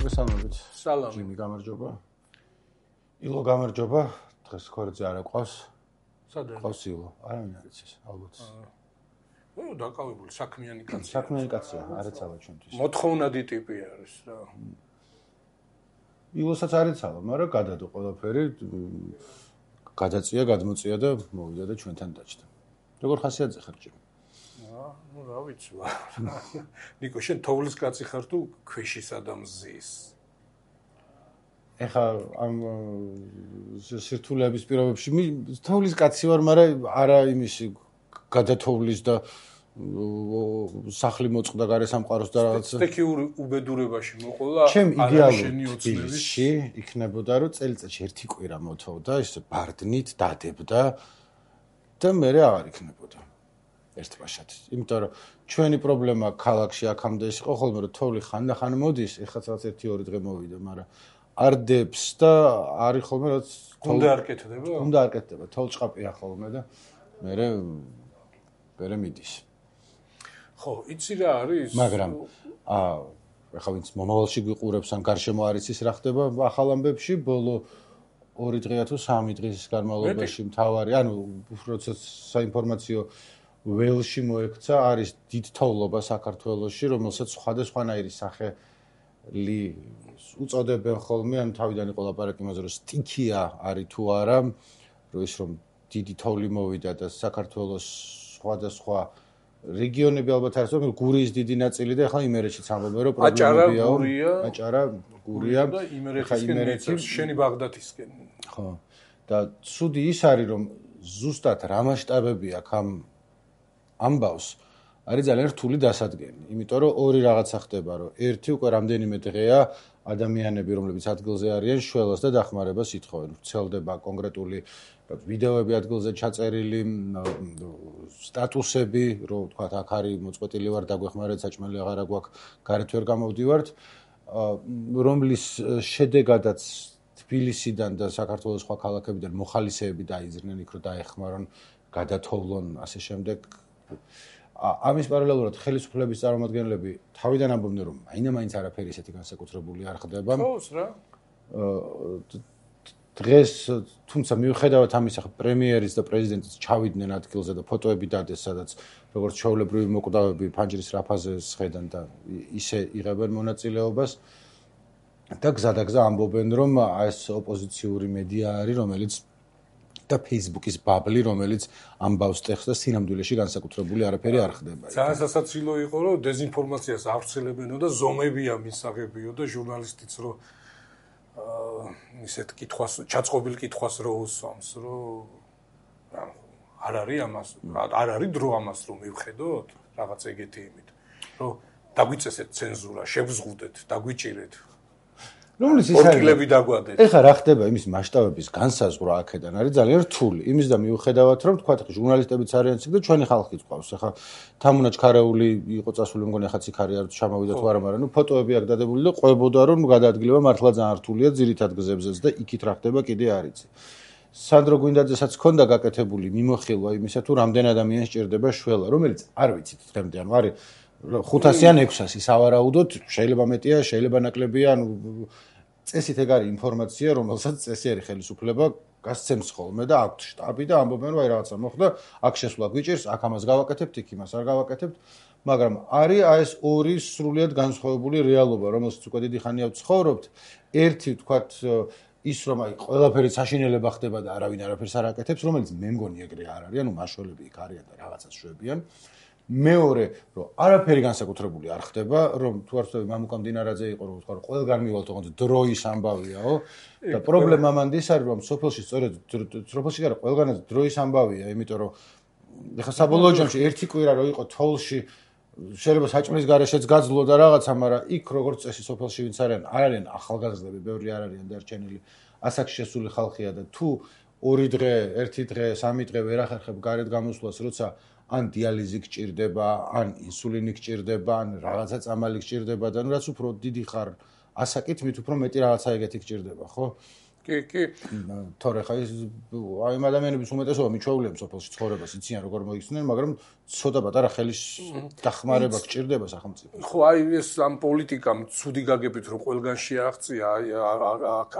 მოგესალმებით. სალამი. ჯიმი გამარჯობა. ილო გამარჯობა. დღეს ქორწი არა ყავს. სადაა? ყავს ილო. არავინ არ იცის, ალბათ. დაკავებული საქმიანი კაცია. საქმიანი კაცია, არ ეცალა ჩვენთვის. მოთხოვნადი ტიპი არის რა. ილოსაც არ ეცალა, მაგრამ გადადო ყველაფერი, გადაწია, გადმოწია და მოვიდა და ჩვენთან დაჭდა. როგორ ხასიათზე ხარ ჯიმი? ნუ რა ვიცი. ნიკო, შენ თოვლის კაცი ხარ თუ ქვეშის ადამიანის? ეხა ამ სირთულეების პირობებში თოვლის კაცი ვარ, მაგრამ არა იმისი გადათოვლის და სახლი მოწყდა გარე სამყაროს და რაღაც სტექიური უბედურებაში მოყოლა ჩემ იდეალური თბილისში იქნებოდა რომ წელიწადში ერთი კვირა მოთოვდა ისე ბარდნით დადებდა და მე აღარ იქნებოდა ერთბაშად იმიტომ რომ ჩვენი პრობლემა ქალაქში აქამდე ის იყო ხოლმე რომ თოვლი ხანდახან მოდის ეხლა რაღაც 1-2 დღე მოვიდა მაგრამ არ დებს და არის ხოლმე რაც უნდა არ კეთდება? უნდა არ კეთდება თოვლჭყაპია ხოლმე და მე მიდის ხო, იცი რა არის? მაგრამ ეხლა ვინც მომავალში გვიყურებს ან გარშემო არის ის რა ხდება ახალ ამბებში ბოლო 2 დღეა თუ 3 დღის განმავლობაში მთავარი ანუ როცა საინფორმაციო ველში მოექცა არის დიდ თოვლობა საქართველოში რომელსაც სხვადასხვანაირი სახელი უწოდებენ ხოლმე ან თავიდან იყო ლაპარაკი იმაზე რომ სტიქია არის თუ არა რომ ის რომ დიდი თოვლი მოვიდა და საქართველოს სხვადასხვა რეგიონები ალბათ არის რომ გურიის დიდი ნაწილი და ახლა იმერეთშიც ამბობენ რომ პრობლემებია აჭარა გურია და იმერეთისკენ შენი ბაღდათისკენ ხო და ცუდი ის არის რომ ზუსტად რა მასშტაბები აქვს ამ ამბავს არის ძალიან რთული დასადგენი იმიტომ რომ ორი რაღაცა ხდება რომ ერთი უკვე რამდენიმე დღეა ადამიანები რომლებიც ადგილზე არიან შველას და დახმარებას ითხოვენ ვრცელდება კონკრეტული ვიდეოები ადგილზე ჩაწერილი სტატუსები რომ თქვა აქ არის მოწყვეტილი ვარ დაგვეხმარეთ საჭმელი აღარა გვაქვს გარეთ ვერ გამოვდივართ რომლის შედეგადაც თბილისიდან და საქართველოს სხვა ქალაქებიდან მოხალისეები დაიძრნენ იქ რომ დაეხმარონ გადათოვლონ ასე შემდეგ ამის პარალელურად ხელისუფლების წარმომადგენლები თავიდან ამბობდნენ რომ მაინც არაფერი ისეთი განსაკუთრებული არ ხდება ხოს რა დღეს თუმცა მიუხედავად ამისა პრემიერის და პრეზიდენტის ჩავიდნენ ადგილზე და ფოტოები დადეს სადაც როგორც ჩვეულებრივი მოკვდავები ფანჯრის რაფაზე სხედან და ისე იღებენ მონაწილეობას და გზადაგზა ამბობენ რომ ეს ოპოზიციური მედია არის რომელიც და Facebook-ის ბაბლი რომელიც ამბავს ტექსტს და სინამდვილეში განსაკუთრებული არაფერი არ ხდება. ძალიან სასაცილო იყო რომ დეზინფორმაციას ავრცელებენო და ზომებია მისაღებიო და ჟურნალისტიც რომ ისეთ კითხვას ჩაწყობილ კითხვას რო უსვამს რომ არ არის დრო ამას რომ მივხედოთ რაღაც ეგეთი იმით რომ დაგვიწესეთ ცენზურა შევზღუდეთ დაგვიჭირეთ რომლის ის ორკილები დაგვადეთ ეხლა რა ხდება იმის მასშტაბების განსაზღვრა აქედან არის ძალიან რთული იმის და მიუხედავად რომ თქვა ჟურნალისტებიც არიან ციგ და ჩვენი ხალხიც ყავს ეხლა თამუნა ჩქარეული იყო წასული მგონი ახაც იქ არის არ ჩამოვიდა თუ არა მაგრამ ნუ ფოტოები აქ დადებული და ყვებოდა რომ გადაადგილება მართლა ძალიან რთულია ძირითად გზებზეც და იქით რა ხდება კიდე არ იცი სანდრო გვინდაძესაც ჰქონდა გაკეთებული მიმოხილვა იმისა თუ რამდენ ადამიანს ჭირდება შველა რომელიც არ ვიცით დღემდე ანუ არის 500 ან 600 სავარაუდოდ შეიძლება მეტია შეიძლება ნაკლებია ანუ წესით ეგ არის ინფორმაცია რომელსაც წესიერი ხელისუფლება გასცემს ხოლმე და აქვთ შტაბი და ამბობენ რომ აი რაღაცა მოხდა აქ შესვლა გვიჭირს აქ ამას გავაკეთებთ იქ იმას არ გავაკეთებთ მაგრამ არის ეს ორი სრულიად განსხვავებული რეალობა რომელსაც უკვე დიდი ხანია ვცხოვრობთ ერთი თქვათ ის რომ აი ყველაფერი საშინელება ხდება და არავინ არაფერს არ აკეთებს რომელიც მე მგონი ეგრე არ არის ანუ მაშველები იქ არიან და რაღაცას შვებიან მეორე რომ არაფერი განსაკუთრებული არ ხდება რომ თუ არ ვთქვი მამუკა მდინარაძე იყო რომ თქვა რომ ყველგან მივალთ ოღონდ დროის ამბავიაო და პრობლემა მანდ ის არის რომ სოფელში სწორედ სოფელში არა ყველგანაც დროის ამბავია იმიტომ რომ ეხლა საბოლოო ჯამში ერთი კვირა რო იყო თოვლში შეიძლება საჭმლის გარეშეც გაძლო და რაღაცა მაგრამ იქ როგორც წესი სოფელში ვინც არიან ახალგაზრდები ბევრი არ არიან დარჩენილი ასაკში შესული ხალხია და თუ 2 დღე 1 დღე 3 დღე ვერ ახერხებ გარეთ გამოსვლას როცა ან დიალიზი გჭირდება, ან ინსულინი გჭირდება, ან რაღაცა წამალი გჭირდება და ნუ რაც უფრო დიდი ხარ ასაკით, მით უფრო მეტი რაღაცა ეგეთი გჭირდება, ხო? კი. თორე ხა ის აი ამ ადამიანების უმეტესობა მიჩვეულებს სოფელში ცხოვრებას იციან როგორ მოიხსნენ, მაგრამ ცოტა პატარა ხელის დახმარება გჭირდება სახელმწიფოს. ხო, აი ეს ამ პოლიტიკამ ცუდი გაგებით რომ ყველგან შეაღწია, აი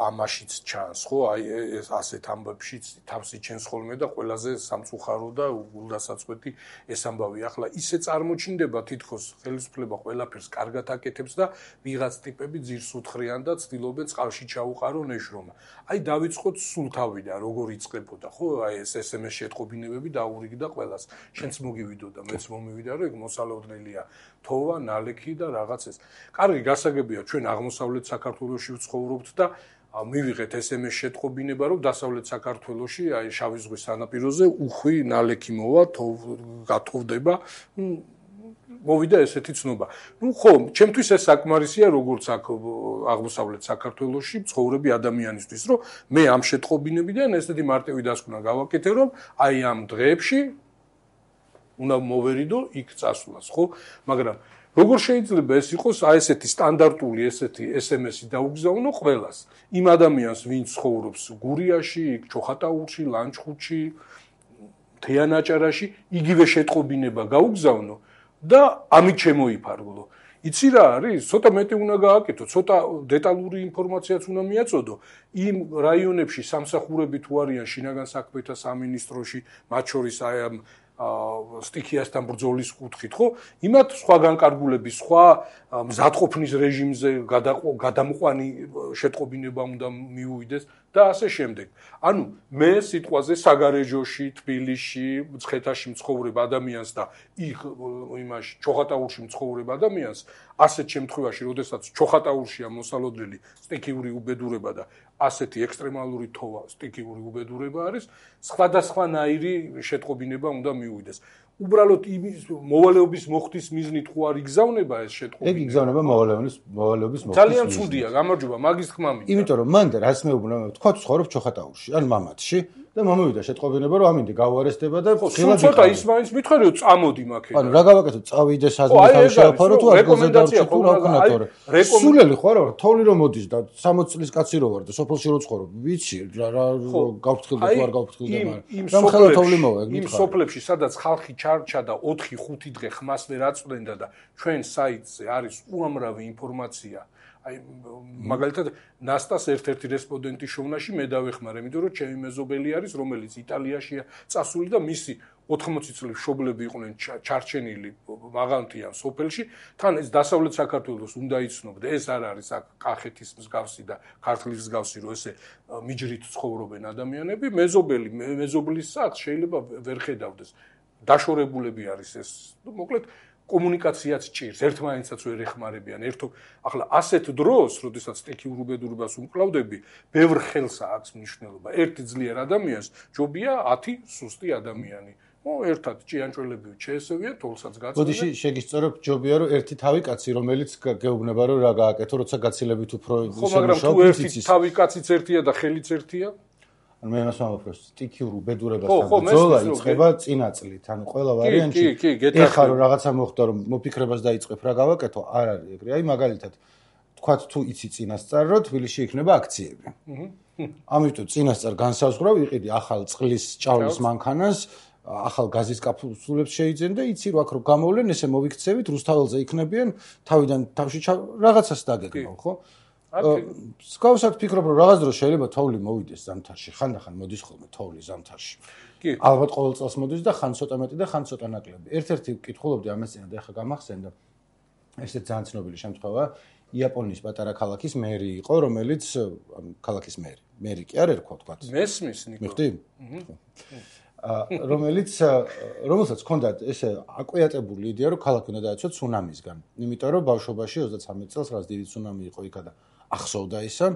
ამაშიც ჩანს, ხო? აი ეს ასეთ ამბებშიც თავს იჩენს ხოლმე და ყველაზე სამწუხარო და გულდასაწყვეტი ეს ამბავი. ახლა ისე წარმოჩინდება თითქოს ხელისუფლება ყველაფერს კარგად აკეთებს და ვიღაც ტიპები ძირს უთხრიან და ცდილობენ წყალში ჩაუყარონ ეშრომა. აი დავიწყოთ სულ თავიდან როგორ იწყებოდა, ხო? აი ეს SMS შეტყობინებები დაურიგდა ყველას. შენც მოგივიდო და მეც მომივიდა, რომ ეგ მოსალოდნელია. თოვა, ნალექი და რაღაც ეს. კარგი გასაგებია, ჩვენ აღმოსავლეთ საქართველოში ვცხოვრობთ და მივიღეთ SMS შეტყობინება, რომ დასავლეთ საქართველოში, აი შავი ზღვის სანაპიროზე უხვი ნალექი მოვა, გათოვდება. მოვიდა ესეთი ცნობა. ხო, ჩემთვის ეს საკმარისია როგორც აქ აღმოსავლეთ საქართველოში ცხოვრები ადამიანისთვის, რომ მე ამ შეტყობინებიდან ესეთი მარტივი დასკვნა გავაკეთე, რომ აი ამ დღეებში უნდა მოვერიდო იქ წასვლას, ხო? მაგრამ როგორ შეიძლება ეს იყოს აი ესეთი სტანდარტული ესეთი SMS-ი დაუგზავნო ყველას? იმ ადამიანს, ვინც ცხოვრობს გურიაში, ჩოხატაურში, ლანჩხუთში, თეანაჭარაში, იგივე შეტყობინება გაუგზავნო და ამით შემოიფარგლო. იცი რა არის? ცოტა მეტი უნდა გააკეთო, ცოტა დეტალური ინფორმაციაც უნდა მიაწოდო. იმ რაიონებში სამსახურები თუ არიან შინაგან საქმეთა სამინისტროში, მათ შორის აი ამ სტიქიასთან ბრძოლის კუთხით, ხო? იმათ სხვა განკარგულების, სხვა მზადყოფნის რეჟიმზე გადამყვანი შეტყობინება უნდა მიუვიდეს და ასე შემდეგ. ანუ მე სიტყვაზე საგარეჯოში, თბილისში, მცხეთაში მცხოვრებ ადამიანს და იქ იმაში ჩოხატაურში მცხოვრებ ადამიანს ასეთ შემთხვევაში, როდესაც ჩოხატაურშია მოსალოდნელი სტიქიური უბედურება და ასეთი ექსტრემალური თოვა სტიქიური უბედურება არის, სხვადასხვანაირი შეტყობინება უნდა მიუვიდეს. უბრალოდ იმის მოვალეობის მოხდის მიზნით ხო არ იგზავნება ეს შეტყობინება? ეგ იგზავნება მოვალეობის მოხდის. ძალიან ცუდია, გამარჯობა, მაგის თქმა მინდა. იმიტომ რომ მან რაც მეუბნა, თქვა თუ ცხოვრობ ჩოხატაურში, ან მამათში და მომივიდა შეტყობინება, რომ ამინდი გავუარესდება და ხილად ცოტა ის მაინც მითხარი რომ წამოდი მაქედან. ანუ რა გავაკეთო, წავიდე საზღვარი თავი შეაფარო თუ ადგილზე დავჭი თუ რა ვქნა თორე. სულელი ხო არა, თოვლი რომ მოდის და 60 წლის კაცი რო ვარ და სოფელში რო ცხოვრობ, ვიცი რა გავფრთხილდა თუ არ გავფრთხილდა, მაგრამ რა ხელა თოვლი მოვა, ეგ მითხარი. იმ სოფლებში, სადაც ხალხი ჩარჩა და 4-5 დღე ხმას ვერ აწვდენდა და ჩვენ საიტზე არის უამრავი ინფორმაცია. აი მაგალითად ნასტას ერთ-ერთი რესპონდენტი შოვნაში მე დავეხმარე, იმიტომ რომ ჩემი მეზობელი არის, რომელიც იტალიაშია წასული და მისი 80 წლის მშობლები იყვნენ ჩარჩენილი მაღალმთიან სოფელში, თან ეს დასავლეთ საქართველოს უნდა იცნობდე, ეს არ არის აქ კახეთის მსგავსი და ქართლის მსგავსი, რომ ესე მიჯრით ცხოვრობენ ადამიანები, მეზობლის სახს შეიძლება ვერ ხედავდეს. დაშორებულები არის ეს, მოკლედ კომუნიკაციაც ჭირს, ერთმანეთსაც ვერ ეხმარებიან. ახლა ასეთ დროს, როდესაც სტიქიურ უბედურებას უმკლავდები, ბევრ ხელს აქვს მნიშვნელობა. ერთი ძლიერ ადამიანს ჯობია 10 სუსტი ადამიანი. ერთად ჭიანჭველები შეესევია, თოლსაც გაწევენ. ბოდიში შეგისწორებ, ჯობია რომ ერთი თავი კაცი, რომელიც გეუბნება რომ რა გააკეთო, როცა გაცილებით უფრო ხო, მაგრამ თუ ერთი თავი კაციც ერთია და ხელიც ერთია, ანუ მე მას ვამბობ, რომ სტიქიურ უბედურებასთან ბრძოლა იწყება წინა წლით. ანუ ყველა ვარიანტში ეხლა რომ რაღაცა მოხდა, რომ მოფიქრებას დაიწყებ რა გავაკეთო, არ არის ეგრე. აი მაგალითად, თქვათ თუ იცი წინასწარ, რომ თბილისში იქნება აქციები. ამიტომ წინასწარ განსაზღვრავ, იყიდი ახალ წყლის ჭავლის მანქანას, ახალ გაზის კაფსულებს შეიძენ და იცი რომ აქ რო გამოვლენ, ესე მოვიქცევით, რუსთაველზე იქნებიან, თავიდან თავში რაღაცას დაგეგმავ, ხო? სკავსად ფიქრობ, რომ რაღაც დროს შეიძლება თოვლი მოვიდეს ზამთარში, ხანდახან მოდის ხოლმე თოვლი ზამთარში. კი. ალბათ ყოველ წელს მოდის და ხან ცოტა მეტი და ხან ცოტა ნაკლები. ერთ-ერთი ვკითხულობდი ამას წინა და ეხლა გამახსენდა. ესეც ძალიან ცნობილი შემთხვევა, იაპონიის პატარა ქალაქის მერი იყო, რომელიც ქალაქის მერი კი არ ერქვა თქვა. მესმის ნიკო. მიხდი? რომელსაც ჰქონდა ესე აკვიატებული იდეა, რომ ქალაქი უნდა დაეცვა ცუნამისგან. იმიტომ რომ ბავშვობაში 33 წელს რაღაც დიდი ცუნამი იყო იქა და ახსოვდა ისა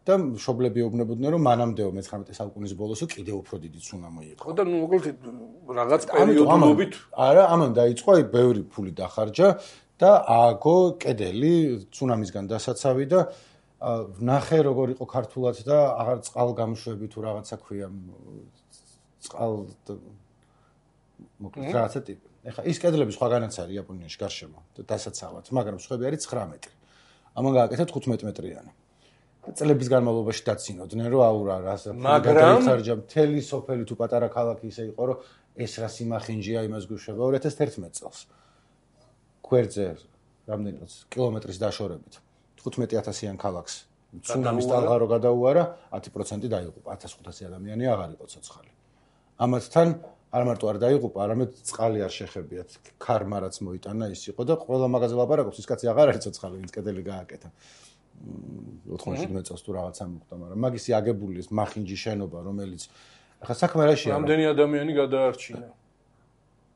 და მშობლები ეუბნებოდნენ, რომ მანამდეო მე-19 საუკუნის ბოლოსო კიდევ უფრო დიდი ცუნამი იყო. ხო და ნუ მოკლედ რაღაც პერიოდულობით არა, ამან დაიწყო აი ბევრი ფული დახარჯა და ააგო კედელი ცუნამისგან დასაცავი და ნახე როგორ იყო ქართულად და აღარ წყალგამშვები თუ რაღაცა ქვია მოკლედ რაღაცა ტიპი. ეხლა ის კედლები სხვაგანაც არის იაპონიაში გარშემო დასაცავად, მაგრამ სხვები არის 9 მეტრი. ამან გააკეთა 15 მეტრიანი. წლების განმავლობაში დაცინოდნენ, რომ აურა რას მაგრამ მთელი სოფელი თუ პატარა ქალაქი ისე იყო, რომ ეს რა სიმახინჯია იმას გვიშვება 2011 წელს. გვერდზე რამდენი კილომეტრის დაშორებით 15000-იან ქალაქს ცუნამის ტალღა რო გადაუარა 10% დაიღუპა 1500 ადამიანი აღარ იყო ცოცხალი. ამათთან არ მარტო არ დაიღუპა, არამედ წყალი არ შეხებიათ. ქარმა რაც მოიტანა ის იყო და ყველა მაგაზე ლაპარაკობს, ის კაცი აღარ არის ცოცხალი, ვინც კედელი გააკეთა. 97 წელს თუ რაღაცა მოხდა, მაგრამ მაგისი აგებული ეს მახინჯი შენობა, რომელიც ახლა საქმე რაშია? რამდენი ადამიანი გადაარჩინა?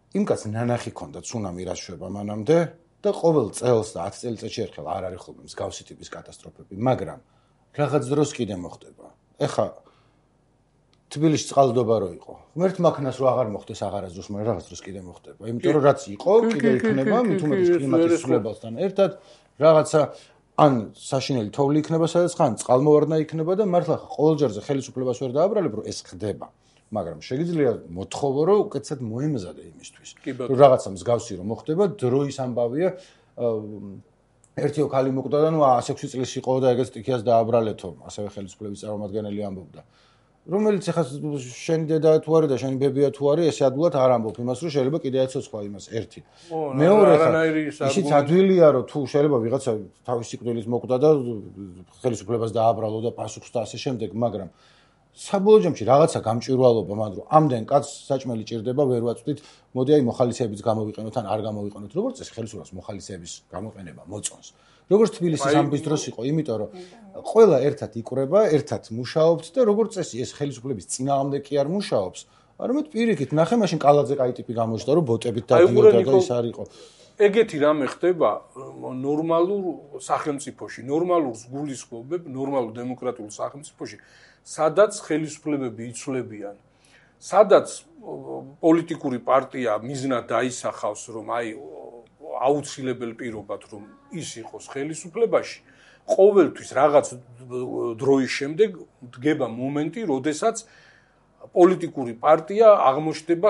იმ კაცს ნანახი ქონდა ცუნამი რაც შვება მანამდე და ყოველ წელს და 10 წელიწადში ერთხელ არ არის ხოლმე მსგავსი ტიპის კატასტროფები, მაგრამ რაღაც დროს კიდე მოხდება. ეხა თბილისში წყალდობა რო იყო. ღმერთ მაქნას რო აღარ მოხდეს აღარასდროს, მაგრამ რაღაც დროს კიდე მოხდება. იმიტომ რომ რაც იყო, კიდე იქნება, მით უმეტეს კლიმატის ცვლილებასთან ერთად რაღაცა ან საშინელი თოვლი იქნება სადაც ხან წყალმოვარდნა იქნება და მართლა ყოველ ჯერზე ხელისუფლებას ვერ დააბრალებ, რომ ეს ხდება. მაგრამ შეგიძლია მოთხოვო, რომ უკეთესად მოემზადე იმისთვის. რომ რაღაცა მსგავსი რომ მოხდება, დროის ამბავია. ერთი ოქალი მოკვდა და ნუ 106 წლის იყო და ეგეც ტიქიას დააბრალეთო, ასევე ხელისუფლების წარმომადგენელი ამბობდა. რომელიც ახლა შენ დედა თუ არის და შენი ბებია თუ არის, ესე ადვილად არ ამბობ იმას, რომ შეიძლება კიდე ეცოცხლა იმას ერთი. მეორე ისიც ადვილია, რომ თუ შეიძლება ვიღაცა თავის სიკვდილის მოკვდა და ხელისუფლებას დააბრალო და პასუხს და ასე შემდეგ, მაგრამ საბოლოო ჯამში რაღაცა გამჭვირვალობა მან რომ ამდენ კაცს საჭმელი ჭირდება, ვერ ვაწვდით, მოდი აი მოხალისეებიც გამოვიყენოთ ან არ გამოვიყენოთ. როგორც წესი ხელისუფლებას მოხალისეების გამოყენება მოწონს. როგორც თბილისის ამბის დროს იყო, იმიტომ რომ ყველა ერთად იკვრება, ერთად მუშაობთ და როგორც წესი ეს ხელისუფლების წინააღმდეგ კი არ მუშაობს, არამედ პირიქით ნახე მაშინ კალაძე კაი ტიპი გამოჩნდა, რომ ბოტებით დადიოდა და ის არ იყო. ეგეთი რამე ხდება ნორმალურ სახელმწიფოში, ნორმალურს გულისხმობებ, ნორმალურ დემოკრატიულ სახელმწიფოში, სადაც ხელისუფლებები იცვლებიან, სადაც პოლიტიკური პარტია მიზნად დაისახავს, რომ აი აუცილებელ პირობად რომ ის იყოს ხელისუფლებაში, ყოველთვის რაღაც დროის შემდეგ დგება მომენტი, როდესაც პოლიტიკური პარტია აღმოჩნდება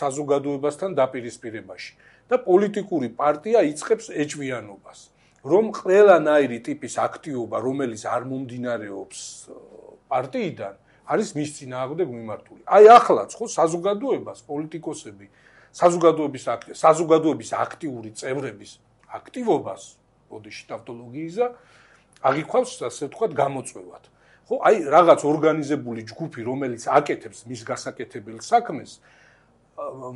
საზოგადოებასთან დაპირისპირებაში და პოლიტიკური პარტია იწყებს ეჭვიანობას, რომ ყველანაირი ტიპის აქტივობა, რომელიც არ მომდინარეობს პარტიიდან, არის მის წინააღმდეგ მიმართული. აი ახლაც ხო საზოგადოებას პოლიტიკოსები საზოგადოების აქტიური წევრების აქტივობას, ბოდიში ტავტოლოგიისა, აღიქვავს ასე ვთქვათ გამოწვევად. ხო, აი რაღაც ორგანიზებული ჯგუფი, რომელიც აკეთებს მის გასაკეთებელ საქმეს,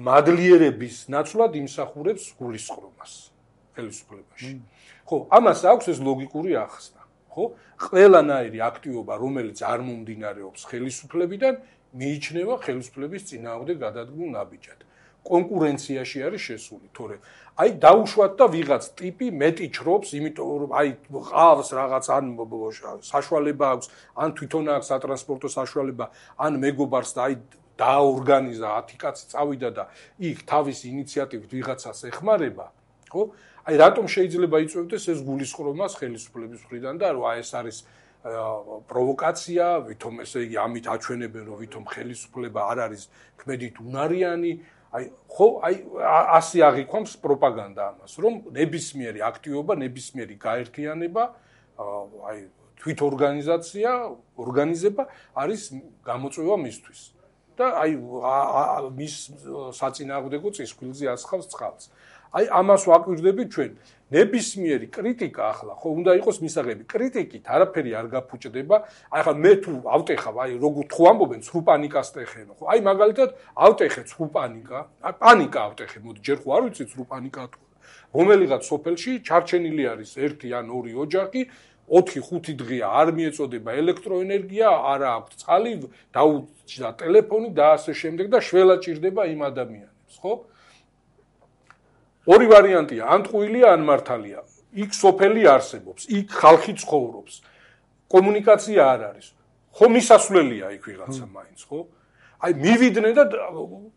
მადლიერების ნაცვლად იმსახურებს გულისხმობას ხელისუფლებაში. ხო, ამას აქვს ეს ლოგიკური ახსნა. ხო, ყველანაირი აქტივობა, რომელიც არ მომდინარეობს ხელისუფლებიდან, მიიჩნევა ხელისუფლების წინააღმდეგ გადადგმულ ნაბიჯად. კონკურენციაში არის შესული, თორე აი დაუშვათ და ვიღაც ტიპი მეტი ჩრობს, იმიტომ რომ აი ყავს რაღაც ან საშუალება აქვს, ან თვითონ აქვს სატრანსპორტო საშუალება, ან მეგობარს და აი დააორგანიზა 10 კაცი წავიდა და იქ თავის ინიციატივით ვიღაცას ეხმარება, ხო? აი რატომ შეიძლება იწევდეს ეს გულისხმობას ხელისუფლების მხრიდან და რომ აი ეს არის პროვოკაცია, ვითომ ესე იგი ამით აჩვენებენ, რომ ვითომ ხელისუფლება არ არის ქმედით უნარიანი, აი ხო, აი ასე აღიქვამს პროპაგანდა ამას, რომ ნებისმიერი აქტივობა, ნებისმიერი გაერთიანება, აი თვითორგანიზაცია, ორგანიზება არის გამოწვევა მისთვის. და აი მის საწინააღმდეგო წისქვილზე ასხავს წყალს. აი ამას ვაკვირდებით ჩვენ. ნებისმიერი კრიტიკა ახლა ხო უნდა იყოს მისაღები. კრიტიკით არაფერი არ გაფუჭდება. აი ხა მე თუ ავტეხავ, აი როგორ თუ ამბობენ, ცრუ პანიკას ტეხენო, ხო? აი მაგალითად ავტეხე ცრუ პანიკა, აი პანიკა ავტეხე, მოდი ჯერ ხო არ ვიცი ცრუ პანიკა თუ რომელიღაც სოფელში ჩარჩენილი არის 1 ან 2 ოჯახი, 4-5 დღეა არ მიეწოდება ელექტროენერგია, არა აქვს წყალი, დაუჭდა ტელეფონი და ასე შემდეგ და შველა ჭირდება იმ ადამიანებს, ხო? ორი ვარიანტია, ან ტყუილია, ან მართალია. იქ სოფელი არსებობს, იქ ხალხი ცხოვრობს. კომუნიკაცია არ არის. ხო მისასვლელია იქ ვიღაცა მაინც, ხო? აი მივიდნენ და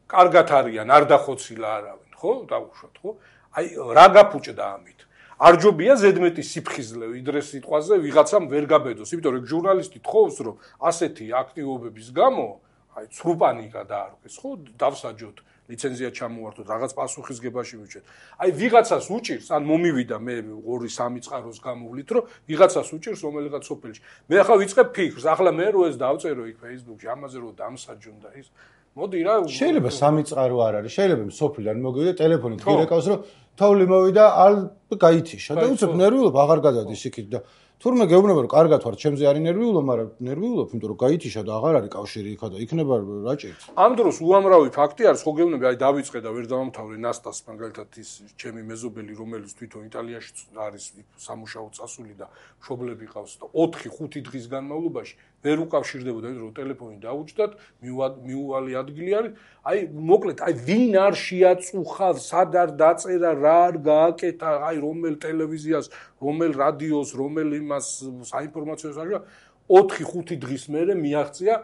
კარგად არიან, არ დახოცილა არავინ, ხო? დაუშვათ, ხო? აი რა გაფუჭდა ამით? არ ჯობია ზედმეტი სიფხიზლე ვიდრე სიტყვაზე ვიღაცამ ვერ გაბედოს, იმიტომ რომ ჟურნალისტი თხოვს, რომ ასეთი აქტივობების გამო, აი ცრუ პანიკა დაარღვეს, ხო? დავსაჯოთ ლიცენზია ჩამოვართოთ, რაღაც პასუხისგებაში მივჭეთ. აი ვიღაცას უჭირს, ან მომივიდა მე 2-3 წყაროს გამოვლით, რომ ვიღაცას უჭირს რომელიღაც სოფელში. მე ახლა ვიწყებ ფიქრს, ახლა მე რო ეს დავწერო იქ Facebook-ში, ამაზე რო დამსაჯუნდა ის. მოდი რა. შეიძლება 3 წყარო არ არის, შეიძლება სოფლიდან მოგივიდა ტელეფონით, გირეკავს რომ თოვლი მოვიდა, ალ გაითიშა და უცებ ნერვიულობ აღარ გადადის იქით და თურმე გეუბნება რომ კარგად ვარ, ჩემზე არის ნერვიულო, მაგრამ ნერვიულობ, იმიტომ რომ გაითიშა და აღარ არის კავშირი იქა და იქნება რა ჭირს. ამ დროს უამრავი ფაქტი არის, ხო გეუბნები, აი დავიწყე და ვერ დავამთავრე ნასტას მაგალითად ის ჩემი მეზობელი, რომელიც თვითონ იტალიაში არის სამუშაო წასული და მშობლები ყავს და 4-5 დღის განმავლობაში ვერ უკავშირდებოდა, რომ ტელეფონი დაუჭდათ, მიუვალი ადგილი არის. აი მოკლედ, აი ვინ არ შეაწუხავ, სად არ დაწერა, რა არ გააკეთა, აი რომელ ტელევიზიას, რომელ რადიოს, რომელ იმას საინფორმაციო საშუალებას 4-5 დღის მერე მიაღწია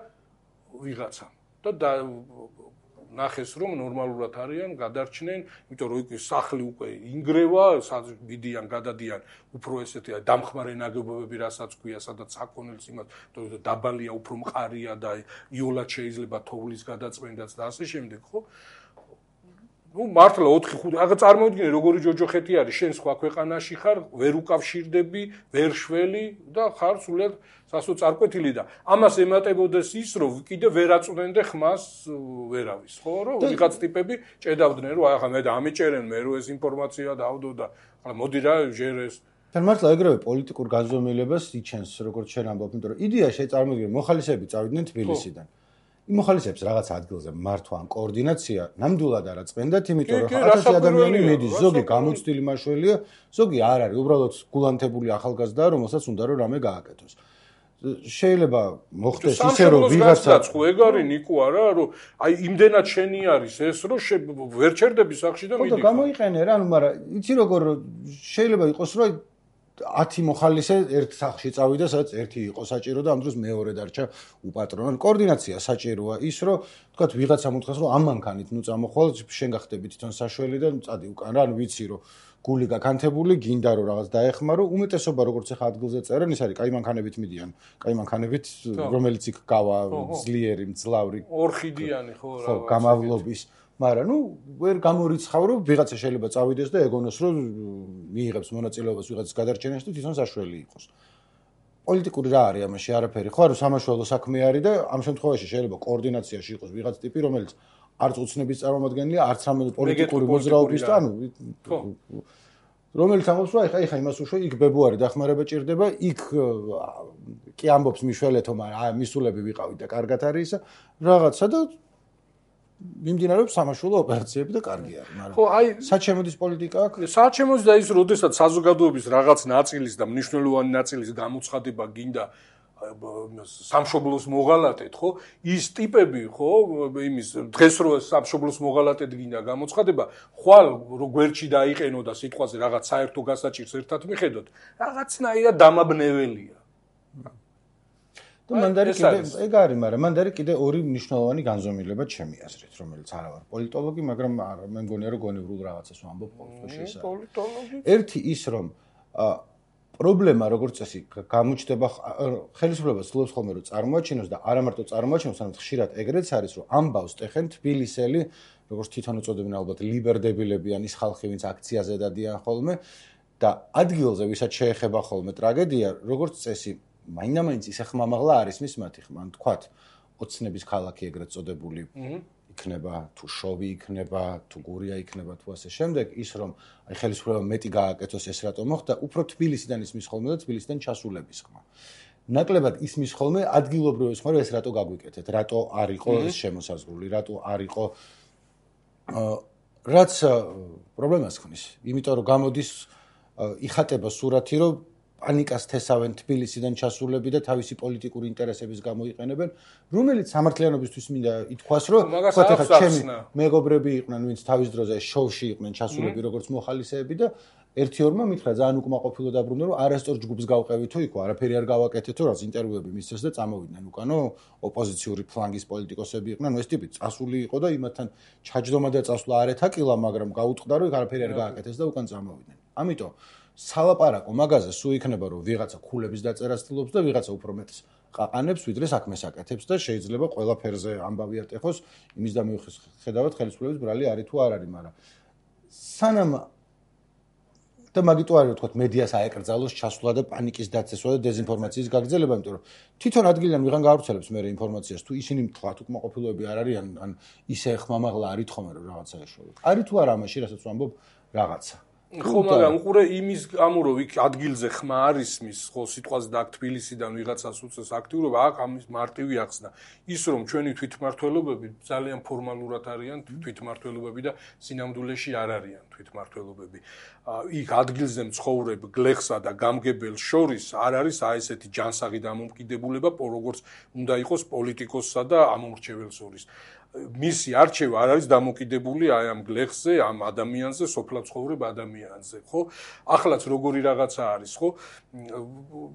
ვიღაცა და ნახეს რომ ნორმალურად არიან, გადარჩნენ, იმიტომ რომ იქ სახლი უკვე ინგრევა, ვიდიან, გადადიან, უფრო ესეთი დამხმარე ნაგებობები, რასაც ქვია, სადაც საქონელს იმას, იმიტომ რომ დაბალია, უფრო მყარია და იოლად შეიძლება თოვლის გადაწმენდაც და ასე შემდეგ, ხო? ნუ მართლა 4-5 აღა წარმოიდგინე როგორი ჯოჯოხეთი არის, შენ სხვა ქვეყანაში ხარ, ვერ უკავშირდები, ვერ შველი და ხარ სულად სასოწარკვეთილი და ამას ემატებოდეს ის, რომ კიდე ვერ აწვდენდე ხმას ვერავის, ხო, რომ ვიღაც ტიპები ჭედავდნენ, რომ ახლა მე და ამიჭერენ, მე რო ეს ინფორმაცია დავდო და ახლა მოდი რა ჟერეს. თან მართლა ეგრევე პოლიტიკურ განზომილებას იჩენს, როგორც შენ ამბობ, იმიტომ რომ იდეა შეწარმოდგენ, მოხალისეები წავიდნენ თბილისიდან. იმ მოხალისეებს რაღაც ადგილზე მართვა ან კოორდინაცია ნამდვილად არ აწმენდათ, იმიტომ რომ 1000 ადამიანი მიდის, ზოგი გამოცდილი მაშველია, ზოგი არ არის, უბრალოდ გულანთებული ახალგაზრდაა, რომელსაც უნდა რომ რამე გააკეთოს. შეიძლება მოხდეს ისე რომ ვიღაცა ხო ეგ არის ნიკო არა, რომ აი იმდენად შენი არის ეს, რომ ვერ ჩერდები სახში და მიდი. ხო და გამოიყენე რა, მაგრამ იცი როგორ შეიძლება იყოს რომ 10 მოხალისე ერთ სახლში წავიდა, სადაც ერთი იყო საჭირო და ამ დროს მეორე დარჩა უპატრონო. კოორდინაცია საჭიროა ის, რომ თქვათ ვიღაცამ უთხრას, რომ ამ მანქანით ნუ წამოხვალ, შენ გახდები თვითონ საშველი და წადი უკან რა, ანუ ვიცი რომ გული გაკანთებული, გინდა რომ რაღაც დაეხმარო, უმეტესობა როგორც ახლა ადგილზე წერენ, ის არის კაი მანქანებით მიდიან, კაი მანქანებით, რომელიც იქ გავა, ძლიერი, მძლავრი, ორხიდიანი ხო რა, გამავლობის მაგრამ ნუ ვერ გამორიცხავ რომ ვიღაცა შეიძლება წავიდეს და ეგონოს რომ მიიღებს მონაწილეობას ვიღაცის გადარჩენაში და თვითონ საშველი იყოს. პოლიტიკური რა არის ამაში არაფერი ხო არა სამაშველო საქმე არის და ამ შემთხვევაში შეიძლება კოორდინაციაში იყოს ვიღაც ტიპი რომელიც არც უცნების წარმომადგენელია არც რამე პოლიტიკური მოძრაობის და ანუ რომელიც ამბობს რომ ეხა იმას უშვა იქ ბებუარი დახმარება ჭირდება იქ კი ამბობს მიშველეთო მაგრამ მისულები ვიყავით და კარგად არის რაღაცა და მიმდინარეობს სამაშველო ოპერაციები და კარგი არის, მაგრამ ხო, აი სად შემოდის პოლიტიკა აქ? სად შემოდის და ის როდესაც საზოგადოების რაღაც ნაწილის და მნიშვნელოვანი ნაწილის გამოცხადება გინდა სამშობლოს მოღალატედ, ხო? ის ტიპები, ხო, იმის დღეს რო სამშობლოს მოღალატედ გინდა გამოცხადება, ხვალ რო გვერდში დაიყენო და სიტყვაზე რაღაც საერთო გასაჭირს ერთად მიხედოთ, რაღაცნაირად დამაბნეველია. და მანდარი კიდე ეგ არის, მაგრამ მანდარი კიდე ორი მნიშვნელოვანი განზომილება ჩემი აზრით, რომელიც არა ვარ პოლიტოლოგი, მაგრამ მე მგონია რომ გონივრულ რაღაცას ვამბობ ყოველთვის ეს არის. პოლიტოლოგი. ერთი ის რომ პრობლემა როგორც წესი გამოჩნდება ხელისუფლება ცდილობს ხოლმე რომ წარმოაჩინოს და არა მარტო წარმოაჩინოს, არამედ ხშირად ეგრეც არის რომ ამბავს ტეხენ თბილისელი, როგორც თვითონ უწოდებენ ალბათ ლიბერდებილები ან ის ხალხი ვინც აქციაზე დადიან ხოლმე და ადგილზე ვისაც შეეხება ხოლმე ტრაგედია, როგორც წესი მაინდა-მაინც ისე ხმამაღლა არის მის მათი ხმა, ან თქვათ ოცნების ქალაქი ეგრეთ წოდებული იქნება, თუ შოვი იქნება, თუ გურია იქნება, თუ ასე შემდეგ, ის რომ აი ხელისუფლება მეტი გააკეთოს ეს რატომ მოხდა, უფრო თბილისიდან ისმის ხოლმე და თბილისიდან ჩასულების ხმა. ნაკლებად ისმის ხოლმე ადგილობრივ ის ხმა, რომ ეს რატო გაგვიკეთეთ, რატო არ იყო ეს შემოსაზღვრული, რატო არ იყო რაც პრობლემას ხნის, იმიტომ რომ გამოდის იხატება სურათი, რომ პანიკას თესავენ თბილისიდან ჩასულები და თავისი პოლიტიკური ინტერესების გამოიყენებენ, რომელიც სამართლიანობისთვის მინდა ითქვას, რომ თქვათ ახლა ჩემი მეგობრები იყვნენ, ვინც თავის დროზე შოუში იყვნენ ჩასულები როგორც მოხალისეები და ერთი-ორმა მითხრა ძალიან უკმაყოფილო დაბრუნდა, რომ არასწორ ჯგუფს გავყევითო იქო, არაფერი არ გავაკეთეთო, რაც ინტერვიუები მისცეს და წამოვიდნენ უკანო ოპოზიციური ფლანგის პოლიტიკოსები იყვნენ, ეს ტიპი წასული იყო და იმათთან ჩაჯდომა და წასვლა არ ეთაკილა, მაგრამ გაუტყდა, რომ არაფერი არ გააკეთეს და უკან წამოვიდნენ. ამიტომ სალაპარაკო მაგაზე სულ იქნება რომ ვიღაცა ქულების დაწერას ცდილობს და ვიღაცა უფრო მეტს ყაყანებს ვიდრე საქმეს აკეთებს და შეიძლება ყველაფერზე ამბავი არტეხოს იმის და მიუხედავად ხელისუფლების ბრალი არის თუ არ არის, მაგრამ სანამ და მაგიტო არის ვთქვათ მედიას აეკრძალოს ჩასვლა და პანიკის დაცესვა და დეზინფორმაციის გაგრძელება, იმიტომ რომ თვითონ ადგილიდან ვიღან გაავრცელებს მე ინფორმაციას თუ ისინი თქვათ უკმაყოფილოები არ არიან ან ისე ხმამაღლა არ ითხოვენ რომ რაღაცა ეშოვათ. არის თუ არა ამაში რასაც ვამბობ რაღაცა. ხო, მაგრამ უყურე იმის გამო რომ იქ ადგილზე ხმა არის მის ხო სიტყვაზე და აქ თბილისიდან ვიღაცას უწევს აქტიურობა, აქ ამის მარტივი ახსნა. ის რომ ჩვენი თვითმმართველობები ძალიან ფორმალურად არიან თვითმმართველობები და სინამდვილეში არ არიან თვითმმართველობები. იქ ადგილზე მცხოვრებ გლეხსა და გამგებელს შორის არ არის ესეთი ჯანსაღი დამოუკიდებულება, როგორც უნდა იყოს პოლიტიკოსსა და ამომრჩეველს შორის. მისი არჩევა არ არის დამოკიდებული აი ამ გლეხზე, ამ ადამიანზე, სოფლად ცხოვრებ ადამიანზე, ხო? ახლაც როგორი რაღაცა არის, ხო?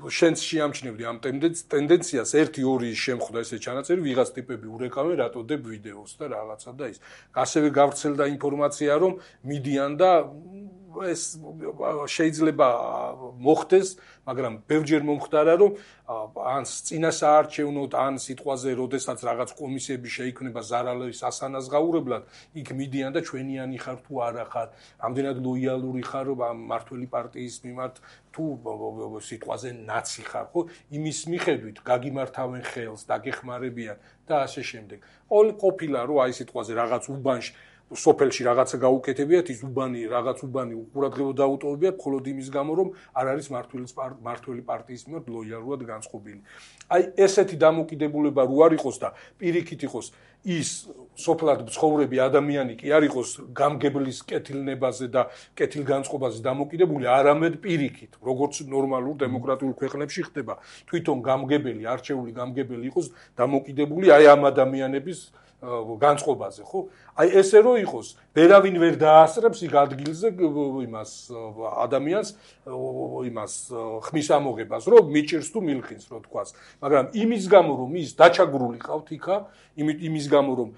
შენც შეამჩნევდი ამ ტენდენციას 1-2 შემხვდა ესე ჩანაწერი, ვიღაც ტიპები ურეკავენ, რატო დებ ვიდეოს და რაღაცა და ის. ასევე გავრცელდა ინფორმაცია, რომ მიდიან და ეს შეიძლება მოხდეს, მაგრამ ბევრჯერ მომხდარა, რომ ან წინასაარჩევნოდ, ან სიტყვაზე, როდესაც რაღაც კომისიები შეიქმნება ზარალის ასანაზღაურებლად, იქ მიდიან და ჩვენიანი ხარ თუ არა ხარ, ამდენად ლოიალური ხარ მმართველი პარტიის მიმართ თუ სიტყვაზე ნაცი ხარ, ხო? იმის მიხედვით გაგიმართავენ ხელს, დაგეხმარებიან და ასე შემდეგ. ყოფილა რომ აი სიტყვაზე რაღაც უბანში სოფელში რაღაცა გაუკეთებიათ, ის რაღაც უბანი უყურადღებო დაუტოვებიათ, მხოლოდ იმის გამო, რომ არ არის მმართველი პარტიის მიმართ ლოიალურად განწყობილი. აი ესეთი დამოკიდებულება რო არ იყოს და პირიქით იყოს ის სოფლად მცხოვრები ადამიანი კი არ იყოს გამგებლის კეთილნებაზე და კეთილგანწყობაზე დამოკიდებული, არამედ პირიქით, როგორც ნორმალურ დემოკრატიულ ქვეყნებში ხდება, თვითონ გამგებელი, არჩეული გამგებელი იყოს დამოკიდებული აი ამ ადამიანების განწყობაზე, ხო? აი ესე რო იყოს, ვერავინ ვერ დაასწრებს იქ ადგილზე იმას ადამიანს იმას ხმის ამოღებას, რომ მიჭირს თუ მილხინს, რო თქვას. მაგრამ იმის გამო, რომ ის დაჩაგრული ყავთ იქა, იმის გამო, რომ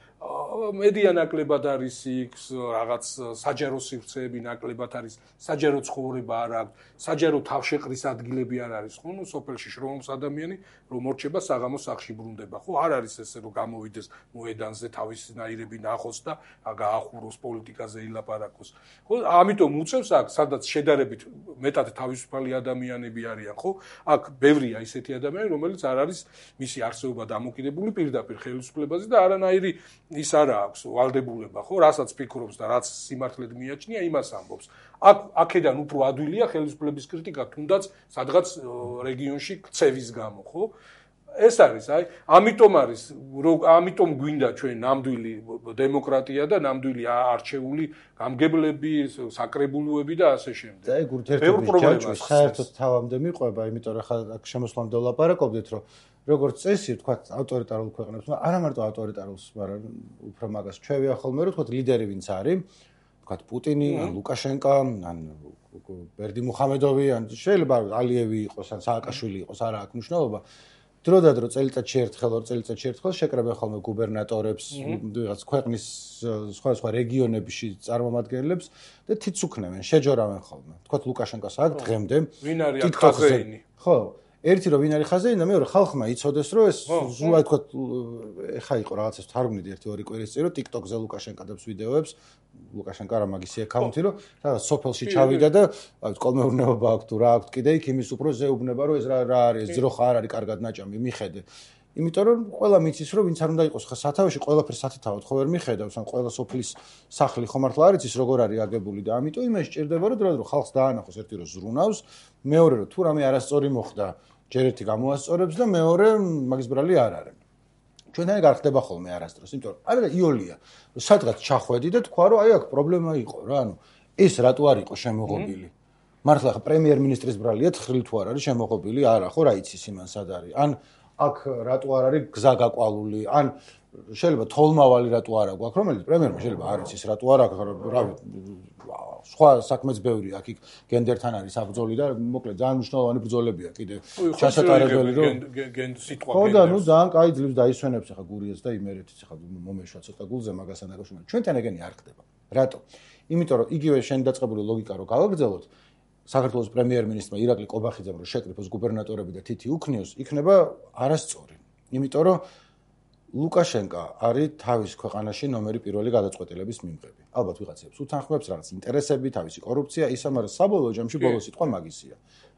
მედია ნაკლებად არის იქ, რაღაც საჯარო სივრცეები ნაკლებად არის, საჯარო ცხოვრება არ აქვს, საჯარო თავშეყრის ადგილები არ არის, ხო? სოფელში შრომობს ადამიანი, რომ მორჩება საღამოს სახლში ბრუნდება, ხო? არ არის ესე, რომ გამოვიდეს მოედანზე თავის ნაირები ნახოს და გაახუროს პოლიტიკაზე ილაპარაკოს. ხო? ამიტომ უწევს აქ, სადაც შედარებით მეტად თავისუფალი ადამიანები არიან, ხო? აქ ბევრია ისეთი ადამიანები, რომელიც არ არის მისი არსებობა დამოკიდებული პირდაპირ ხელისუფლებაზე და არანაირი ის არა აქვს ვალდებულება, ხო? რასაც ფიქრობს და რაც სიმართლედ მიაჩნია, იმას ამბობს. აქედან უფრო ადვილია ხელისუფლების კრიტიკა, თუნდაც სადღაც რეგიონში ქცევის გამო, ხო? ეს არის, აი, ამიტომ გვინდა ჩვენ ნამდვილი დემოკრატია და ნამდვილი არჩეული გამგებლები, საკრებულოები და ასე შემდეგ. და ეგ ურთიერთობის ჯაჭვი საერთოდ თავამდე მიყვება, იმიტომ რომ ხა აქ შემოსვლამდე ვლაპარაკობდით, რომ როგორც წესი, ვთქვათ, ავტორიტარულ ქვეყნებს, არა მარტო ავტორიტარულს, მაგრამ უფრო მაგას ჩვევია ხოლმე, რომ ვთქვათ, ლიდერი ვინც არის, ვთქვათ, პუტინი, ან ლუკაშენკა, ან ბერდიმუხამედოვი, ან შეიძლება ალიევი იყოს, ან სააკაშვილი იყოს, არა აქვს მნიშვნელობა. დროდადრო წელიწადში ერთხელ, 2 წელიწადში ერთხელ შეკრებენ ხოლმე გუბერნატორებს, ვიღაც ქვეყნის სხვა რეგიონებში წარმომადგენლებს და თიც უქნევენ, შეჯორავენ ხოლმე. ვთქვათ, ლუკაშენკას აქვს დღემდე. ვინ არის აქ ხაზეინი? ხო, ერთი რომ ვინ არის ხაზეინი და მეორე ხალხმა იცოდეს, რომ ეს ზუსტად ვთქვათ, ეხა იყო რაღაცას თარგმნით 1-2 კვირის წინ, რომ TikTok-ზე ლუკაშენკა დებს ვიდეოებს, ლუკაშენკა რა მაგისი აკაუნთი, რომ სადაც სოფელში ჩავიდა და კოლმეურნეობა აქვს თუ რა აქვს კიდე იქ იმის უფრო ზეუბნება, რომ ეს რა არის, ძროხა არ არის კარგად ნაჭამი, მიხედე. იმიტომ რომ ყველა მიცის, რომ ვინც არ უნდა იყოს ხა სათავეში, ყველაფერს სათითაოდ ხო ვერ მიხედავს, ან ყველა სოფლის სახლი ხომ მართლა არ იცის როგორ არის აგებული და ამიტომ იმაში ჭირდება, რომ დროდადრო ხალხს დაანახოს, ერთი რომ ზრუნავს, მეორე რომ თუ რამე არასწორი მოხდა, ჯერ ერთი გამოასწორებს და მეორე მაგის ბრალი არ არის. ჩვენთან ეგ არ ხდება ხოლმე არასდროს, იმიტომ რომ არა იოლია, რომ სადღაც ჩახვედი და თქვა, რომ აი აქ პრობლემა იყო რა, ანუ ეს რატო არ იყო შემოღობილი? მართლა ხა პრემიერ-მინისტრის ბრალია თხრილი თუ არ არის შემოღობილი? არა, ხო რა იცის იმან სად არის? ან აქ რატო არ არის გზა გაყვალული? ან შეიძლება თოლმავალი რატო არა გვაქვს, რომელიც პრემიერმა შეიძლება არ იცის რატო არ აქვს, რავი, სხვა საქმეც ბევრი აქ იქ გენდერთან არის საბრძოლი და მოკლედ ძალიან მნიშვნელოვანი ბრძოლებია კიდე ჩასატარებელი რომ სიტყვა ხო და ნუ ძალიან კაი ძლივს დაისვენებს ახლა გურიას და იმერეთის ახლა მომეშვა ცოტა გულზე მაგასთან დაკავშირებით. ჩვენთან ეგენი არ ხდება. რატო? იმიტომ რომ იგივე შენ დაწყებული ლოგიკა რო გავაგრძელოთ, საქართველოს პრემიერ-მინისტრმა ირაკლი კობახიძემ რომ შეკრიფოს გუბერნატორები და თითი უქნიოს, იქნება არასწორი. იმიტომ რომ ლუკაშენკა არის თავის ქვეყანაში ნომერი პირველი გადაწყვეტილების მიმღები. ალბათ ვიღაცებს უთანხმებს რაღაც ინტერესები, თავისი კორუფცია, ისა, მაგრამ საბოლოო ჯამში ბოლო სიტყვა მაგისია.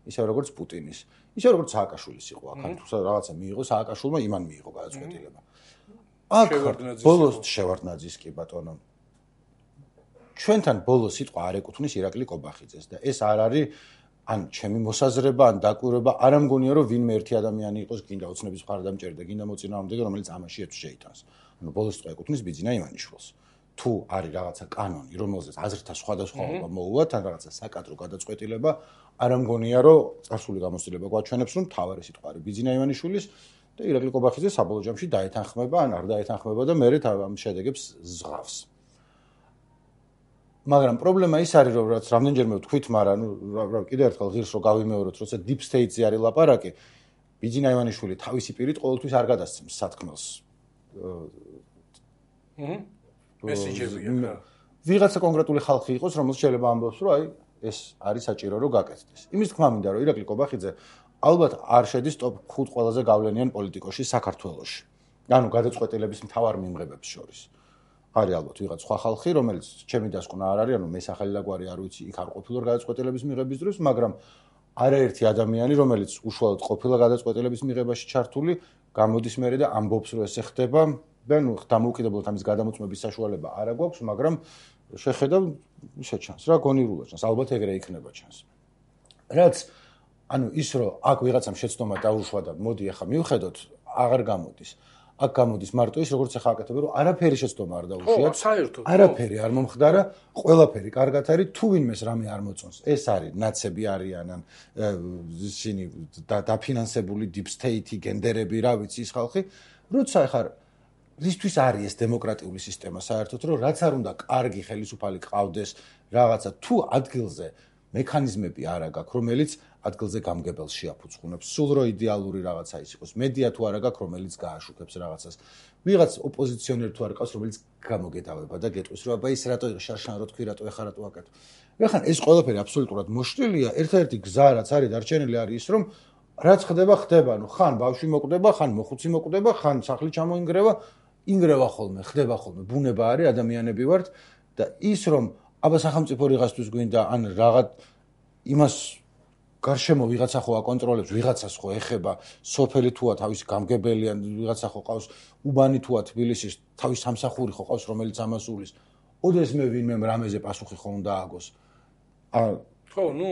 ისე როგორც პუტინის, ისე როგორც სააკაშვილის იყო, აქ თუ რაღაცა მიიღო სააკაშვილმა, იმან მიიღო გადაწყვეტილება. აქ ბოლოს შევარდნაძის კი ბატონო. ჩვენთან ბოლო სიტყვა არ ეკუთვნის ირაკლი კობახიძეს და ეს არ არის ან ჩემი მოსაზრება, ან დაკვირვება, არ ამგონია რომ ვინმე ერთი ადამიანი იყოს, გინდა ოცნების მხარდამჭერი და გინდა მოწინააღმდეგე, რომელიც ამაში ეთს შეიტანს. ანუ ბოლო სიტყვა ეკუთვნის ბიძინა ივანიშვილს. თუ არის რაღაცა კანონი, რომელზეც აზრთა სხვადასხვაობა მოუვა, თან რაღაცა საკადრო გადაწყვეტილება, არ ამგონია რომ წარსული გამოცდილება გვაჩვენებს, რომ მთავარი სიტყვა არის ბიძინა ივანიშვილის და ირაკლი კობახიძე საბოლოო ჯამში დაეთანხმება, ან არ დაეთანხმება და მერე ამ შედეგებს ზღავს. მაგრამ პრობლემა ის არის, რომ რაც რამდენჯერმე ვთქვით, მაგრამ კიდევ ერთხელ ღირს რომ გავიმეოროთ, როცა deep state-ზე არის ლაპარაკი, ბიძინა ივანიშვილი თავისი პირით ყოველთვის არ გადასცემს სათქმელს. მესიჯებია. ვიღაცა კონკრეტული ხალხი იყოს, რომელიც შეიძლება ამბობს, რომ აი ეს არის საჭირო რომ გაკეთდეს. იმის თქმა მინდა, რომ ირაკლი კობახიძე ალბათ არ შედის ტოპ 5 ყველაზე გავლენიან პოლიტიკოსში საქართველოში. ანუ გადაწყვეტილების მთავარ მიმღებებს შორის. არის ალბათ ვიღაც სხვა ხალხი, რომელიც ჩემი დასკვნა არ არის, ანუ მე სახელი და გვარი არ ვიცი, იქ არ ყოფილვარ გადაწყვეტილების მიღების დროს, მაგრამ არაერთი ადამიანი, რომელიც უშუალოდ ყოფილა გადაწყვეტილების მიღებაში ჩართული, გამოდის მერე და ამბობს, რომ ესე ხდება და ნუ დამოუკიდებლად ამის გადამოწმების საშუალება არ აქვს, მაგრამ შეხედავ ისე ჩანს რა, გონირულა ჩანს, ალბათ ეგრე იქნება ჩანს. რაც ანუ ის რომ აქ ვიღაცამ შეცდომა დაუშვა და მოდი ახლა მივხედოთ, აღარ გამოდის. აქ გამოდის მარტო ის, როგორც ახლა აკეთებ, რომ არაფერი შეცდომა არ დაუშვიათ. საერთოდ. არაფერი არ მომხდარა, ყველაფერი კარგად არის, თუ ვინმეს რამე არ მოწონს. ეს არის ნაცები არიან, ან ისინი დაფინანსებული deep state-ი, გენდერები, რა ვიცი ის ხალხი, როცა ახლა რისთვის არის ეს დემოკრატიული სისტემა საერთოდ, რომ რაც არ უნდა კარგი ხელისუფალი ყავდეს, რაღაცა თუ ადგილზე მექანიზმები არა გაქვს, რომელიც ადგილზე გამგებელს შეაფუძღუნებს. სულ რო იდეალური რაღაცა ის იყოს, მედია თუ არა გაქვს, რომელიც გააშუქებს რაღაცას. ვიღაც ოპოზიციონერი თუ არ ყავს, რომელიც გამოგედავება და გეტყვის, რომ აბა ის რატო შარშან რო თქვი, რატო ეხა რატო აკეთო. ეხლა ეს ყველაფერი აბსოლუტურად მოშლილია. ერთ-ერთი გზა რაც არის დარჩენილი არის ის, რომ რაც ხდება, ხდება. ნუ ხან ბავშვი მოკვდება, ხან მოხუცი მოკვდება, ხან სახლი ჩამოინგრევა, ინგრევა ხოლმე, ხდება ხოლმე. ბუნება არის, ადამიანები ვართ და ის რომ აბა სახელმწიფო რიღასთვის გვინდა ან რაღაც იმას გარშემო ვიღაცა ხო აკონტროლებს, ვიღაცას ხო ეხება, სოფელი თუა თავისი გამგებელი ან ვიღაცა ხო ყავს, უბანი თუა თბილისის, თავის სამსახური ხო ყავს, რომელიც ამას უვლის. ოდეს მე ვინმე რამეზე პასუხი ხო უნდა აგოს. ხო, ნუ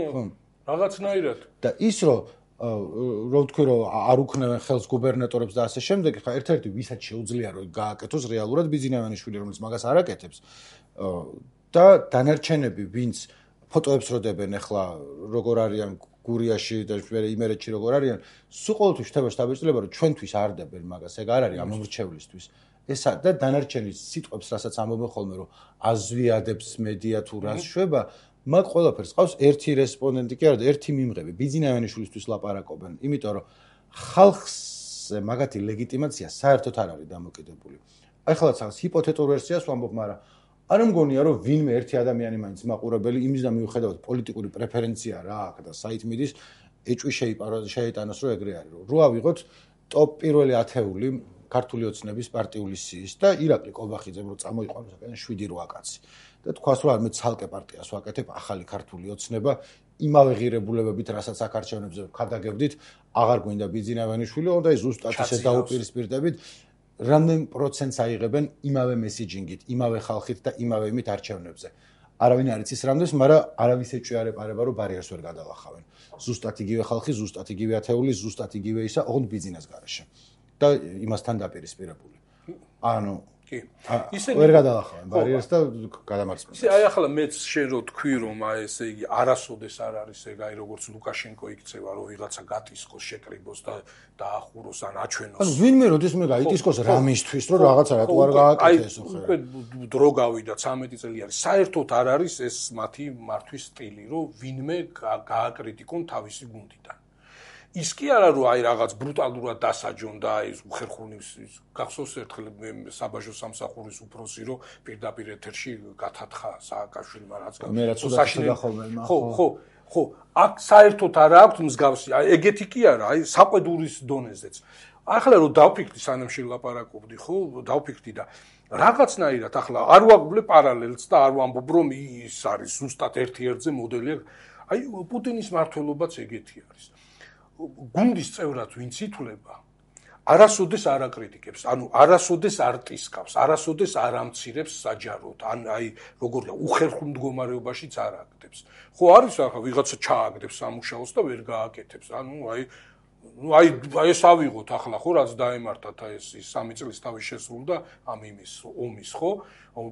რაღაცნაირად. და ის რომ ვთქვი რომ არ უქნევენ ხელს გუბერნატორებს და ასე შემდეგ, ხა ერთ-ერთი ვისაც შეუძლია რომ გააკეთოს რეალურად ბიძინა ივანიშვილი, რომელიც მაგას არ აკეთებს. და დანარჩენები, ვინც ფოტოებს როდებენ ახლა როგორ არიან გურიაში და იმერეთში როგორ არიან, სულ ყოველთვის ხდება შთაბეჭდილება, რომ ჩვენთვის არ დებენ მაგას, ეგ არ არის ამ მომრჩევლისთვის. ეს და დანარჩენი სიტყვებს, რასაც ამბობენ ხოლმე, რომ აზვიადებს მედია თუ რას შვება, მაგ ყველაფერს ყავს ერთი რესპონდენტი კი არა და ერთი მიმღები. ბიძინა ივანიშვილისთვის ლაპარაკობენ, იმიტომ რომ ხალხზე მაგათი ლეგიტიმაცია საერთოდ არ არის დამოკიდებული. ახლა რაღაც ჰიპოთეტურ ვერსიას ვამბობ, მაგრამ არ მგონია რომ ვინმე ერთი ადამიანი მაინც მაყურებელი იმის და მიუხედავად პოლიტიკური პრეფერენცია რა აქვს და საით მიდის ეჭვი შეიტანოს რომ ეგრე არის რომ ავიღოთ ტოპ პირველი ათეული ქართული ოცნების პარტიული სიის და ირაკლი კობახიძემ რომ წამოიყვანოს აკენ 7-8 კაცი და თქვას რომ მე ცალკე პარტიას ვაკეთებ ახალი ქართული ოცნება იმავე ღირებულებებით რასაც აქ არჩევნებზე ვქადაგებდით აღარ გვინდა ბიძინა ივანიშვილი და ის ზუსტად ისე დაუპირისპირდებით რამდენ პროცენტს აიღებენ იმავე მესიჯინგით, იმავე ხალხით და იმავე იმით არჩევნებზე. არავინ არ იცის რამდენს, მაგრამ არავის ეჭვი არ ეპარება, რომ ბარიერს ვერ გადალახავენ. ზუსტად იგივე ხალხი, ზუსტად იგივე ათეული, ზუსტად იგივე ისა, ოღონდ ბიძინას გარეშე. და იმასთან დაპირისპირებული. ანუ კი. ისე ვერ გადალახავენ ბარიერს და გადამარცხებენ. ისე აი ახლა მეც შენ რო თქვი რომ აი ესე იგი არასოდეს არ არის ეგ აი როგორც ლუკაშენკო იქცევა რომ ვიღაცა გატისკოს შეკრიბოს და დაახუროს ან აჩვენოს. ანუ ვინმე როდესმე გაიტისკოს რამისთვის რომ რაღაცა რატო არ გააკეთეს ხო? უკვე დრო გავიდა 13 წელი არის. საერთოდ არ არის ეს მათი მართვის სტილი რომ ვინმე გააკრიტიკონ თავისი გუნდიდან. ის კი არა რომ აი რაღაც ბრუტალურად დასაჯონ და აი უხერხულის გახსოვს ერთხელ საბაჟო სამსახურის უფროსი რომ პირდაპირ ეთერში გათათხა სააკაშვილმა რაც მე რაც უდაშიდა ხოლმე ხო ხო, აქ საერთოდ არა აქვს მსგავსი, აი ეგეთი კი არა, აი საყვედურის დონეზეც. ახლა რომ დავფიქრდი სანამ შელაპარაკობდი, ხო, დავფიქრდი და რაღაცნაირად ახლა არ ვაგვლე პარალელს და არ ვამბობ რომ ის არის ზუსტად ერთ-ერთზე მოდელი. აი პუტინის მმართველობაც ეგეთი არის. გუნდის წევრად ვინც ითვლება, არასოდეს არ აკრიტიკებს, ანუ არასოდეს არ ტისკავს, არასოდეს არ ამცირებს საჯაროდ, აი როგორია, უხერხულ მდგომარეობაშიც არ აკეთებს. ხო არის ახლა ვიღაცა ჩააგდებს სამუშაოს და ვერ გააკეთებს. ანუ აი ეს ავიღოთ ახლა ხო რაც დაემართათ აი ეს 3 წლის თავი შესრულდა ამ იმის ომის ხო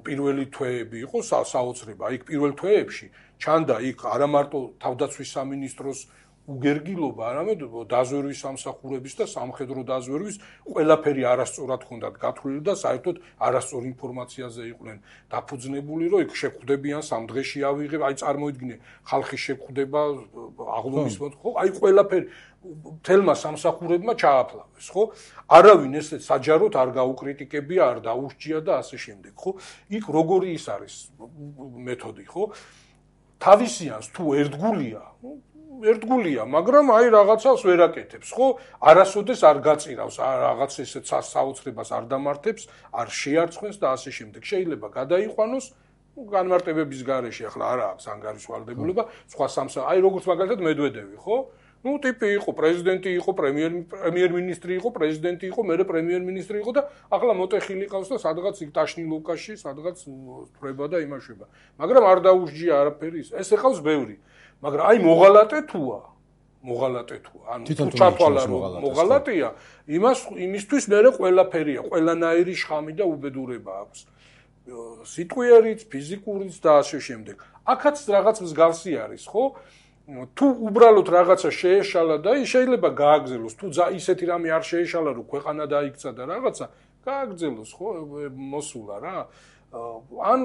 პირველი თვეები იყო საოცრება აი პირველ თვეებში ჩანდა იქ არა მარტო თავდაცვის სამინისტროს უგერგილობა არამედ დაზვერვის სამსახურების და სამხედრო დაზვერვის ყველაფერი არასწორად ჰქონდათ გათვლილი და საერთოდ არასწორ ინფორმაციაზე იყვნენ დაფუძნებული რომ იქ შეხვდებიან სამ დღეში ავიღებ აი წარმოიდგინე ხალხი შეხვდება აღლუმის ხო აი ყველაფერი თელმა სამსახურებმა ჩააფლავეს, ხო? არავინ ესე საჯაროდ არ გაუკრიტიკებია, არ დაუსჯია და ასე შემდეგ, ხო? იქ როგორი ის არის მეთოდი, ხო? თავისიანს თუ ერთგულია, მაგრამ აი რაღაცას ვერ აკეთებს, ხო? არასოდეს არ გაწირავს, რაღაც ესე საოცრებას არ დამართებს, არ შეარცხენს და ასე შემდეგ. შეიძლება გადაიყვანოს განმარტებების გარეშე, ახლა არა აქვს ანგარიშვალდებულება, სხვა აი როგორც მაგალითად მედვედევი, ხო? Ну, ტიპი იყო, პრეზიდენტი იყო, პრემიერ-მინისტრი იყო, პრეზიდენტი იყო, მერე პრემიერ-მინისტრი იყო და ახლა მოტეხილი ყავს და სადღაც იქ ტაშნილოვკაში, სადღაც თვრება და იმაშვება. მაგრამ არ დაუსჯია არაფერი ის. ეს ეხავს ბევრი. მაგრამ აი მოღალატე თუა. ანუ თუ ჩათვალა რომ მოღალატეა, იმისთვის მერე ყველაფერია, ყველანაირი შხამი და უბედურება აქვს. სიტყვიერიც, ფიზიკურიც და ასე შემდეგ. აქაც რაღაც მსგავსი არის, ხო? თუ უბრალოდ რაღაცა შეეშალა და შეიძლება გააგზელოს თუ ისეთი რამე არ შეეშალა რომ ქვეყანა დაიქცა და რაღაცა გააგზელოს ხო მოსულა რა ან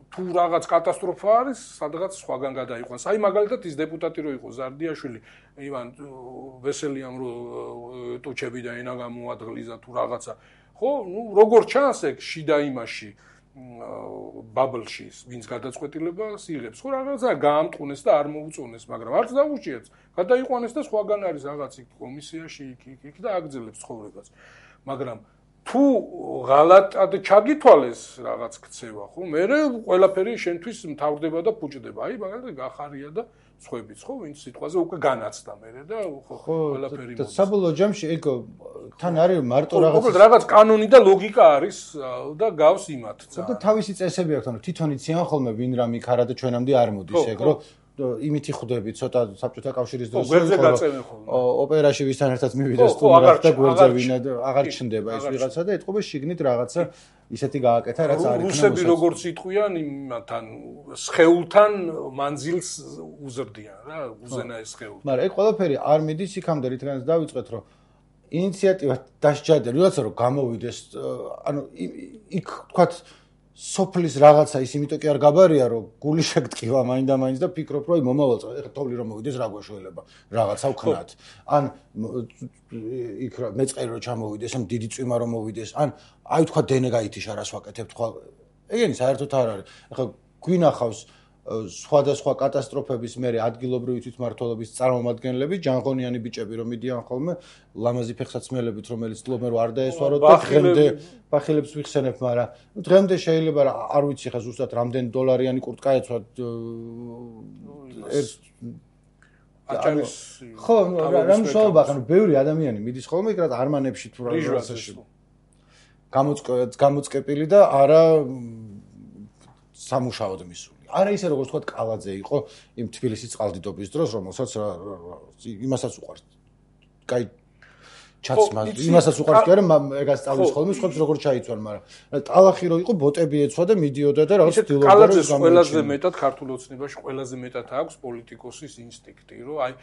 თუ რაღაც კატასტროფა არის სადღაც სხვაგან გადაიყვანს აი მაგალითად ის დეპუტატი რო იყო ზარდიაშვილი ივან ვესელიამ რო ტუჩები და ენა გამოადღლიზა თუ რაღაცა ხო ნუ როგორ ჩანს ეგ შიდა იმაში ბაბლში ვინც გადაწყვეტილებას იღებს ხო რაღაცა გაამტყუნეს და არ მოუწონეს მაგრამ არც დაუჭიებს გადაიყვანეს და სხვაგან არის რაღაც იქ კომისიაში იქ და აგზელებს ცხოვრებას მაგრამ თუ ღალატად ჩაგითვალეს რაღაც ქცევა ხო მე ყველაფერი შენთვის მთავრდება და ფუჭდება აი მაგალითად გახარია და სხვებიც ხო ვინც სიტყვაზე უკვე განაცდა მე და ხო ყველაფერი და საბოლოო ჯამში ეგ თან არის მარტო რაღაც კანონი და ლოგიკა არის და გავს იმათ და თავისი წესები აქვს ანუ თვითონ იციან ხოლმე ვინ რამ იქ არა და ჩვენამდე არ მოდის ეგ რომ იმითი ხვდები ცოტა საბჭოთა კავშირის დროს გვერდზე გაწევენ ხოლმე ოპერაში ვისთან ერთად მივიდეს თუ რა გვერდზე ვინა აღარ ჩნდება ეს ვიღაცა და ეთყობა შიგნით რაღაცა ისეთი გააკეთა რაც არ იქნება რუსები როგორც იტყვიან იმთან სხეულთან მანძილს უზრდიან რა უზენა ეს სხეული მაგრამ ეგ ყველაფერი არ მიდის იქამდე რითგანაც დავიწყეთ რომ ინიციატივა დასჯადა ვიღაცა რომ გამოვიდეს ანუ იქ თქვათ სოფლის რაღაცა ის იმიტომ კი არ გაბარია რომ გული შეგტკივა მაინდა-მაინც და ფიქრობ რომ მომავალ წელს ეხლა თოვლი რომ მოვიდეს რა გვეშველება რაღაცა ვქნათ ან იქ მეწყერი რომ ჩამოვიდეს ან დიდი წვიმა რომ მოვიდეს ან აი თქვა დენე გაითიშა რას ვაკეთებთ ხო ეგენი საერთოდ არ არის ეხლა გვინახავს სხვადასხვა კატასტროფების მერე ადგილობრივი თვითმმართველობის წარმომადგენლები ჯანღონიანი ბიჭები რომ მიდიან ხოლმე ლამაზი ფეხსაცმელებით რომელიც ცდილობენ რომ არ დაესვაროთ და დღემდე ბახილებს ვიხსენებ მაგრამ დღემდე შეიძლება არ ვიცი ხა ზუსტად რამდენი დოლარიანი კურტკა ეცვათ ხო რა მშოობა ანუ ბევრი ადამიანი მიდის ხოლმე იქ რა არმანებში თუ რაღაცაში გამოწკეპილი და არა სამუშაოდ მისული არა ისე როგორც თქვა კალაძე იყო იმ თბილისის წყალდიდობის დროს რომელსაც იმასაც უყარს კაი ჩაცმას იმასაც უყარს კი არა ეგას სწავლის ხოლმე სხვებს როგორ ჩაიცვან მაგრამ ტალახი რო იყო ბოტები ეცვა და მიდიოდა და რაღაც დილობდა კალაძეს ყველაზე მეტად ქართულ ოცნებაში ყველაზე მეტად აქვს პოლიტიკოსის ინსტინქტი რომ აი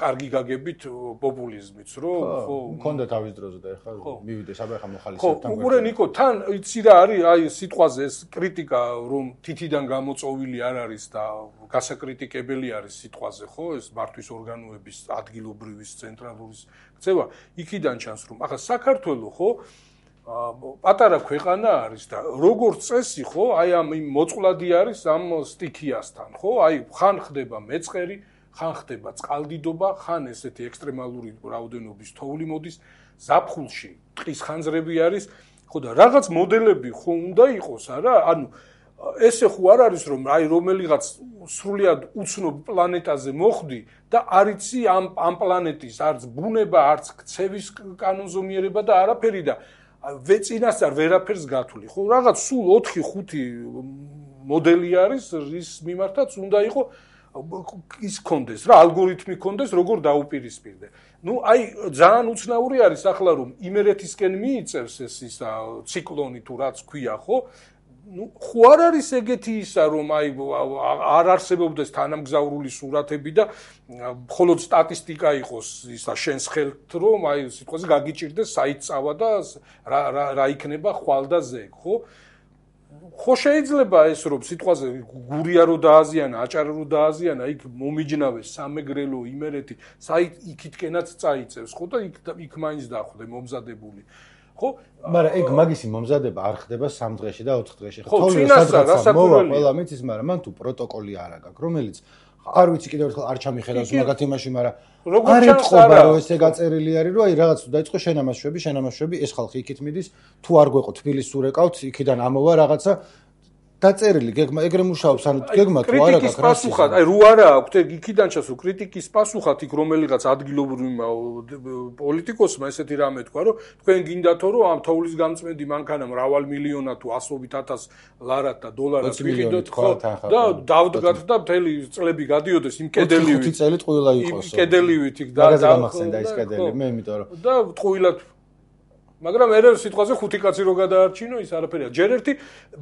კარგი გაგებით პოპულიზმიც რომ ხო მქონდა თავის დროზე და ეხლა მივიდეს აბა ეხლა მოხალისეებთან ხო უყურე ნიკო თან იცი რა არის აი სიტყვაზე ეს კრიტიკა რომ თითიდან გამოწოვილი არ არის და გასაკრიტიკებელი არის სიტყვაზე ხო ეს მართვის ორგანოების ადგილობრივის ცენტრალურის ქცევა იქიდან ჩანს რომ ახლა საქართველოს ხო პატარა ქვეყანა არის და როგორც წესი ხო აი ამ მოწყვლადი არის ამ სტიქიასთან ხო აი ხან ხდება მეწყერი ხან ხდება წყალდიდობა, ხან ესეთი ექსტრემალური რაოდენობის თოვლი მოდის, ზაფხულში ტყის ხანძრები არის, ხო და რაღაც მოდელები ხო უნდა იყოს, არა? ანუ ესე ხო არ არის რომ აი რომელიღაც სრულიად უცნობ პლანეტაზე მოხვდი და არ იცი ამ პლანეტის არც ბუნება, არც ქცევის კანონზომიერება და არაფერი და წინასწარ ვერაფერს გათვლი. ხო, რაღაც სულ 4-5 მოდელი არის, რის მიმართაც უნდა იყო ის კონდეს რა, ალგორითმი კონდეს, როგორ დაუპირისპირდე. ნუ აი ძალიან უცნაური არის ახლა რომ იმერეთისკენ მიიწევს ეს ისა ციკლონი თუ რაც ქვია, ხო? ნუ ხო არ არის ეგეთი ისა რომ აი არ არსებობდეს თანამგზავრული სურათები და მხოლოდ სტატისტიკა იყოს ისა შენს ხელთ რომ აი სიტყვაზე გაგიჭირდეს საით წავა და რა იქნება ხვალ და ზეგ, ხო? ხო შეიძლება ეს რომ სიტყვაზე გურია რო დააზიანა, აჭარა რო დააზიანა, იქ მომიჯნავეს სამეგრელო იმერეთი, საით იქითკენაც წაიწევს, ხო და იქ მაინც დახვდე მომზადებული. ხო? მაგრამ ეგ მაგისი მომზადება არ ხდება 3 დღეში და 4 დღეში. ხო, წინასწარ მოვა ყველა მიცის, მაგრამ მან თუ პროტოკოლი არ აქვს, რომელიც არ ვიცი კიდევ ერთხელ არ ჩამიხედავს მაგათ იმაში, მაგრამ არ ეთყობა რომ ესე გაწერილი არის, რომ აი რაღაც თუ დაიწყო შენამასშვები, ეს ხალხი იქით მიდის, თუ არ გვეყო თბილისს ურეკავთ, იქიდან ამოვა რაღაცა დაწერილი გეგმა ეგრე მუშაობს, ანუ გეგმა თუ არა გაქვს პასუხად, აი რო არა აქვს ეგ იქიდან ჩასო კრიტიკის პასუხად იქ რომელიღაც ადგილობრივმა პოლიტიკოსმა ესეთი რამე თქვა, რომ თქვენ გინდათო რომ ამ თოვლის გამწმენდი მანქანა მრავალ მილიონა თუ ასობით ათას ლარად და დოლარად ვიყიდოთ, ხო და დავდგათ და მთელი წლები გადიოდეს იმ კედელივით. 5 წელი ტყუილა იყოს. იმ კედელივით იქ და გამახსენდა ის კედელი, მე იმიტომ რომ და ტყუილად მაგრამ ერე სიტყვაზე 5 კაცი რო გადაარჩინო ის არაფერია. ჯერ ერთი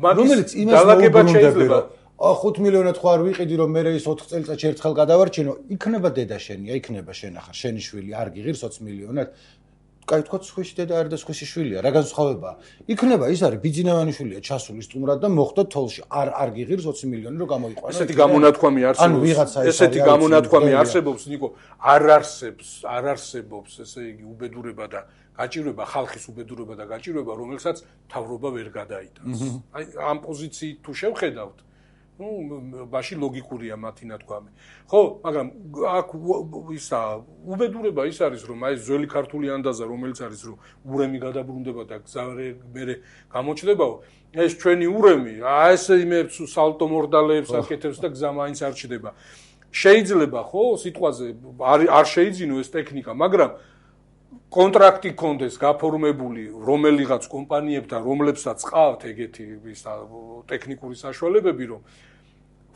მაგის დალაგება შეიძლება. 5 მილიონად ხო არ ვიყიდი რომ მე ის 4 წელიწადში ერთხელ გადავარჩინო, იქნება დედა შენია, იქნება შენ ახლა შენი შვილი, არ გიღირს 20 მილიონად. კაი თქვა სხვისი დედა არ და სხვისი შვილია, რა განსხვავებაა? იქნება ის არის ბიძინავანი შვილია, ჩასული სტუმრად და მოხდა თოლში. არ გიღირს 20 მილიონი რომ გამოიყვანო. ესეთი გამონათქვამი არსებობს. ესეთი გამონათქვამი არსებობს, ნიკო, არ არსებობს ესე იგი უბედურება და გაჭირვება, ხალხის უბედურება და გაჭირვება, რომელსაც თავრობა ვერ გადაიტანს. აი ამ პოზიციით თუ შევხედავთ, ნუ ბაში ლოგიკურია მათი ნათქვამი. ხო, მაგრამ აქ ისა უბედურება ის არის, რომ აი ძველი ქართული ანდაზა, რომელიც არის, რომ ურემი გადაბრუნდება და გზარე მერე გამოჩნდებაო, ეს ჩვენი ურემი, აი ეს იმებს სალტო მორდალეებს აკეთებს და გზა მაინც არ ჩდება. შეიძლება ხო, სიტყვაზე არ შეიძინო ეს ტექნიკა, მაგრამ კონტრაქტი კონდეს გაფორმებული რომელიღაც კომპანიებთან, რომლებსაც ყავთ ეგეთი ტექნიკური საშუალებები, რომ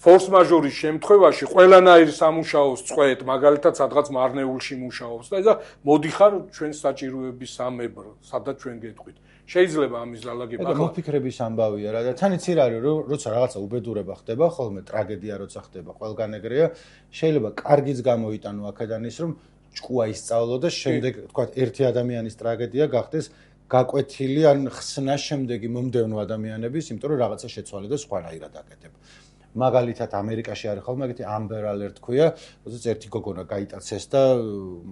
ფორს მაჟორის შემთხვევაში ყველანაირ სამუშაოს წყვეთ, მაგალითად, სადღაც მარნეულში მუშაობს და მოდიხარ ჩვენს საჭიროების სამებრ, სადაც ჩვენ გეტყვით. შეიძლება ამის დალაგება. ეგ მოფიქრების ამბავია რა და თან იცი რა არის, როცა რაღაცა უბედურება ხდება, ხოლმე ტრაგედია როცა ხდება, ყველგან ეგრეა, შეიძლება კარგიც გამოიტანო აქედან ის, რომ ჭკუა ისწავლო და შემდეგ თქვა ერთი ადამიანის ტრაგედია გახდეს გაკვეთილი ან ხსნა შემდეგი მომდევნო ადამიანების, იმიტომ რომ რაღაცა შეცვალე და სხვანაირად აკეთებ. მაგალითად ამერიკაში არის ხოლმე ეგეთი Amber Alert ქვია, როდესაც ერთი გოგონა გაიტაცეს და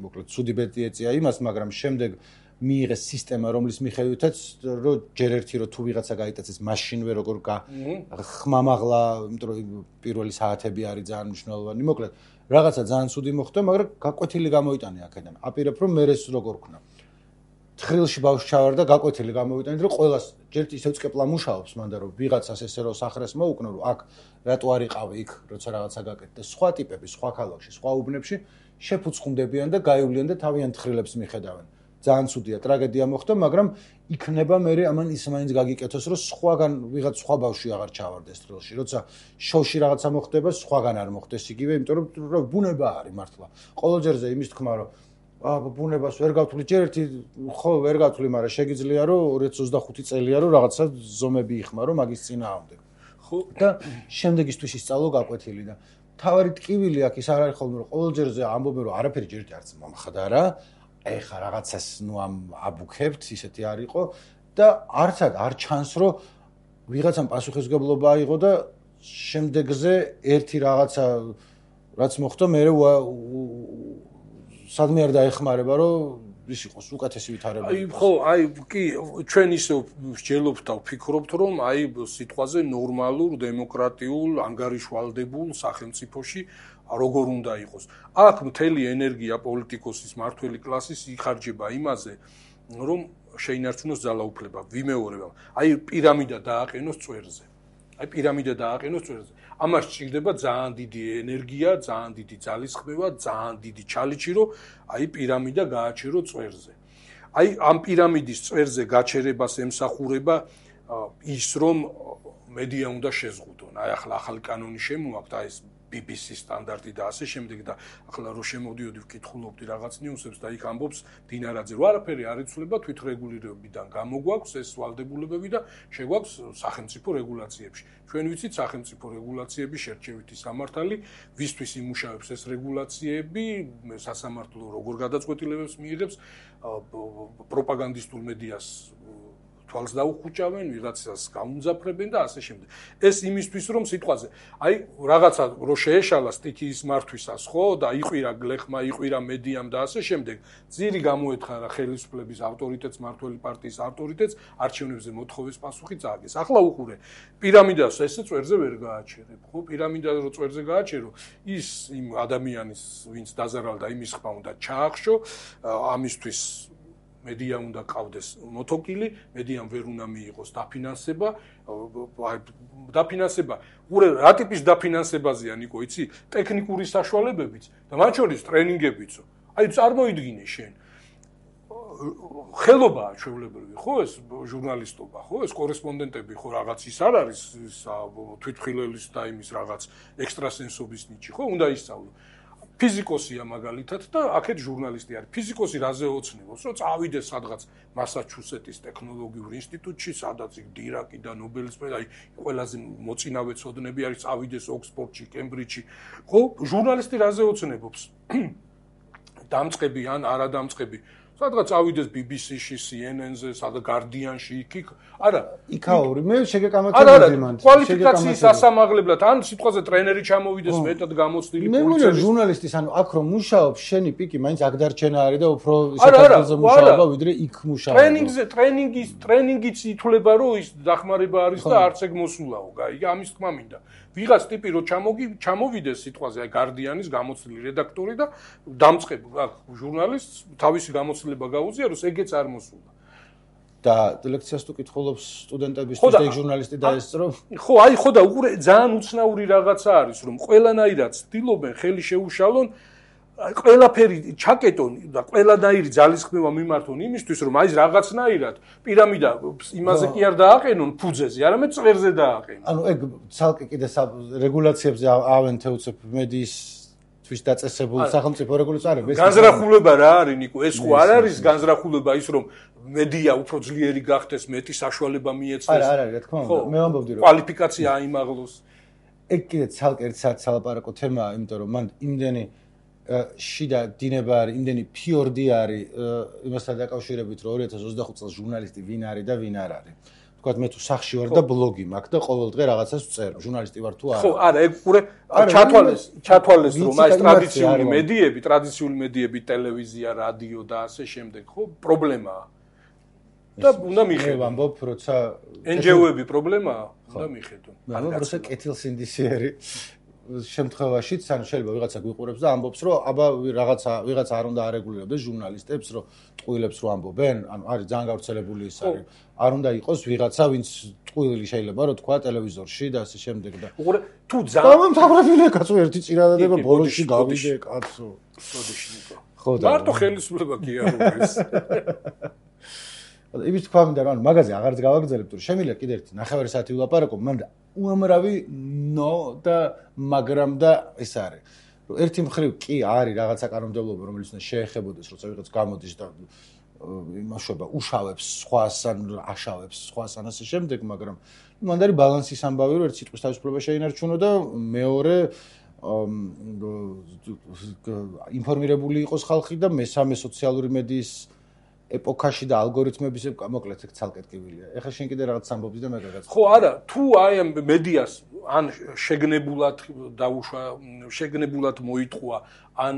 მოკლედ ცუდი ბედი ეწია იმას, მაგრამ შემდეგ მიიღეს სისტემა, რომლის მიხედვითაც რომ ჯერ ერთი რომ თუ ვიღაცა გაიტაცეს მაშინვე როგორ ხმამაღლა, იმიტომ რომ პირველი საათები არის ძალიან მნიშვნელოვანი, მოკლედ რაღაცა ძალიან ცუდი მოხდა, მაგრამ გაკვეთილი გამოიტანე აქედან. აპირებ რომ მერეს როგორ ქნა. თხრილში ბავშვი ჩავარდა, გაკვეთილი გამოვიტანეთ, რომ ყველას ჯერ ისევ წკეპლა მუშაობს, მანდა რომ ვიღაცას ესე რომ სახრეს მოუკნო, რომ აქ რატო არ იყავი იქ, როცა რაღაცა გაკეთდა. სხვა ტიპები, სხვა ქალაქში, სხვა უბნებში შეფუცხუნდებიან და გაივლიან და თავიანთ თხრილებს მიხედავენ. ძალიან ცუდია, ტრაგედია მოხდა, მაგრამ იქნება მე ამან ის მაინც გაგიკეთოს, რომ სხვაგან ვიღაც სხვა ბავშვი აღარ ჩავარდეს თხრილში. როცა შოუში რაღაცა მოხდება, სხვაგან არ მოხდეს იგივე, იმიტომ რომ ბუნება არის მართლა. ყოველჯერზე იმის თქმა, რომ ბუნებას ვერ გავთვლი, ჯერ ერთი ხო ვერ გავთვლი, მაგრამ შეგიძლია რომ 2025 წელია რომ რაღაცა ზომები იხმარო მაგის წინააღმდეგ. ხო და შემდეგისთვის ისწავლო გაკვეთილი და თავარი ტკივილი აქ ის არ არის ხოლმე რომ ყოველჯერზე ამბობენ რომ არაფერი ჯერ ერთი არც მომხდარა. ეხა რაღაცას ნუ ამ აბუქებთ, ისეთი არ იყო და არცად არ ჩანს რომ ვიღაცამ პასუხისმგებლობა აიღო და შემდეგზე ერთი რაღაცა რაც მოხდა მე სადმე არ დაეხმარება რომ ის იყოს უკეთესი ვითარება. ხო, კი, ჩვენ ისე ვსჯელობთ და ვფიქრობთ, რომ სიტყვაზე ნორმალურ, დემოკრატიულ, ანგარიშვალდებულ სახელმწიფოში როგორ უნდა იყოს. აქ მთელი ენერგია პოლიტიკოსის, მართველი კლასის იხარჯება იმაზე, რომ შეინარჩუნოს ძალაუფლება, ვიმეორება. პირამიდა დააყენოს წვერზე. პირამიდა დააყენოს წვერზე. ამას სჭირდება ძალიან დიდი ენერგია, ძალიან დიდი ძალისხმევა, ძალიან დიდი ჩალიჩი, რომ პირამიდა გააჩერო წვერზე. ამ პირამიდის წვერზე გაჩერებას ემსახურება ის, რომ მედია უნდა შეზღუდონ. ახლა ახალი კანონი შემოაქვთ, ეს BBC სტანდარტი და ასე შემდეგ და ახლა რო შემოვდიოდი ვკითხულობდი რაღაც ნიუსებს და იქ ამბობს დინარაძე, რომ არაფერი არ იცვლება თვითრეგულირებიდან გამოგვაქვს ეს ვალდებულებები და შეგვაქვს სახელმწიფო რეგულაციებში. ჩვენ ვიცით სახელმწიფო რეგულაციების შერჩევითი სამართალი, ვისთვის იმუშავებს ეს რეგულაციები, სასამართლო როგორ გადაწყვეტილებებს მიიღებს, პროპაგანდისტულ მედიას თვალს დაუხუჭავენ, ვიღაცას გაუმძაფრებენ და ასე შემდეგ. ეს იმისთვის, რომ სიტყვაზე, რაღაცა რო შეეშალა სტიქიის მართვისას, ხო, და იყვირა გლეხმა, იყვირა მედიამ და ასე შემდეგ, ძირი გამოეთხარა ხელისუფლების ავტორიტეტს, მართველი პარტიის ავტორიტეტს, არჩევნებზე მოთხოვეს პასუხი წააგეს. ახლა უყურე, პირამიდას ესე წვერზე ვერ გააჩერებ, ხო? პირამიდა რო წვერზე გააჩერო, ის იმ ადამიანის, ვინც დაზარალდა, იმის ხმა უნდა ჩაახშო, ამისთვის მედია უნდა ყავდეს მოთოკილი, მედიამ ვერ უნდა მიიღოს დაფინანსება, უყურე რა ტიპის დაფინანსებაზეა ნიკო, იცი? ტექნიკური საშუალებებით და მათ შორის ტრენინგებიცო. წარმოიდგინე შენ. ხელობაა ჩვეულებრივი, ხო, ეს ჟურნალისტობა, ხო, ეს კორესპონდენტები, ხო, რაღაც ის არ არის თვითმხილველის და იმის რაღაც ექსტრასენსობის ნიჭი, ხო, უნდა ისწავლო. ფიზიკოსია მაგალითად და აქეთ ჟურნალისტი არის. ფიზიკოსი რაზე ოცნებობს, რომ წავიდეს სადღაც მასაჩუსეტის ტექნოლოგიურ ინსტიტუტში, სადაც იქ დირაკი და ნობელის პრემია, ყველაზე მოწინავე ცოდნები არის, წავიდეს ოქსფორდში, კემბრიჯში. ხო, ჟურნალისტი რაზე ოცნებობს? დამწყები ან არადამწყები. სადღაც წავიდეს BBC-ში, CNN-ზე, სადღაც Guardian-ში, იქ. არა, იქაური, მე შეგეკამათებოდი მანდ. კვალიფიკაციის ასამაღლებლად, ან სიტყვაზე ტრენერი ჩამოვიდეს მეტად გამოცდილი პოლიციის. მე მგონია ჟურნალისტის, ანუ აქ რომ მუშაობს, შენი პიკი მაინც აქ დარჩენა არის და უფრო საქართველოს მუშაობა, ვიდრე იქ მუშაობა. ტრენინგიც ითვლება, რომ ის დახმარება არის და არც ეგ მოსულაო, გაიგე, ამის თქმა მინდა. ვიღაც ტიპი რო ჩამოვიდეს სიტყვაზე, Guardian-ის გამოცდილი რედაქტორი და დამწყებ ჟურნალისტს თავისი გამოცდილება გაუზიაროს, ეგეც არ მოსულა. და ლექციას თუ კითხულობს სტუდენტებისთვის ეგ ჟურნალისტი დაესწრო? ხო, ხო და უყურე ძალიან უცნაური რაღაცა არის, რომ ყველანაირად ცდილობენ ხელი შეუშალონ, ყველაფერი ჩაკეტონ და ყველანაირი ძალისხმევა მიმართონ იმისთვის, რომ ის რაღაცნაირად პირამიდა იმაზე კი არ დააყენონ ფუძეზე, არამედ წვერზე დააყენონ. ანუ ეგ ცალკე კიდე რეგულაციებზე ავენთეუცებ მედიის თვის დაწესებულ სახელმწიფო რეგულაციას არის. განზრახულება რა არის, ნიკო? ეს ხო არ არის განზრახულება ის, რომ მედია უფრო ძლიერი გახდეს, მეტი საშუალება მიეცეს. არა, რა თქმა უნდა. მე ვამბობდი, რომ კვალიფიკაცია აიმაღლოს. ეგ კიდე ცალკე ერთ საათს სალაპარაკო თემაა, იმიტომ რომ მან იმდენი შიდა დინება არის, იმდენი ფიორდი არის იმასთან დაკავშირებით, რომ 2025 წელს ჟურნალისტი ვინ არის და ვინ არ არის. თქვათ მე თუ სახში ვარ და ბლოგი მაქვს და ყოველ დღე რაღაცას ვწერ, ჟურნალისტი ვარ თუ არა. ხო, არა, ეგ ყურე ჩათვალეს რომ ეს ტრადიციული მედიები, ტელევიზია, რადიო და ასე შემდეგ, ხო, პრობლემაა. და უნდა მიხედონ. მე ვამბობ, როცა NGO-ები პრობლემაა, უნდა მიხედონ. მე ვამბობ, როცა კეთილსინდისიერი შემთხვევაშიც, ანუ შეიძლება ვიღაცა გვიყურებს და ამბობს, რომ აბა ვიღაცა არ უნდა არეგულირებდეს ჟურნალისტებს, რომ ტყუილებს რო ამბობენ, ანუ არის ძალიან გავრცელებული ის არის. არ უნდა იყოს ვიღაცა, ვინც ტყუილი შეიძლება რომ თქვა ტელევიზორში და ასე შემდეგ და. უყურე, თუ ძალიან დამამთავრებელია კაცო, ერთი წინადადება ბოლოში გავიდე კაცო. სოდიში ნიკო. ხო და მარტო ხელისუფლება კი არ არის. იმის თქვა მინდა რომ მაგაზე აღარც გავაგრძელებთ, რომ შემიძლია კიდე ერთი 9 საათი ვილაპარაკო, მანდა უამრავი ნო და მაგრამ და ეს არის. რომ ერთი მხრივ კი არის რაღაცა კანონმდებლობა, რომელიც უნდა შეეხებოდეს, როცა ვიღაც გამოდის და იმაშობა უშავებს სხვას ან აშავებს სხვას ან ასე შემდეგ, მაგრამ მანდა არის ბალანსის ამბავი, რომ ერთ სიტყვის თავისუფლება შეინარჩუნო და მეორე ინფორმირებული იყოს ხალხი და მესამე სოციალური მედიის ეპოქაში და ალგორითმების მოკლედ ცალკე ტკივილია. ეხლა შენ კიდე რაღაც ამბობდი და მე გაგაცნობ. ხო, არა, თუ აი ამ მედიას ან შეგნებულად მოიტყვა, ან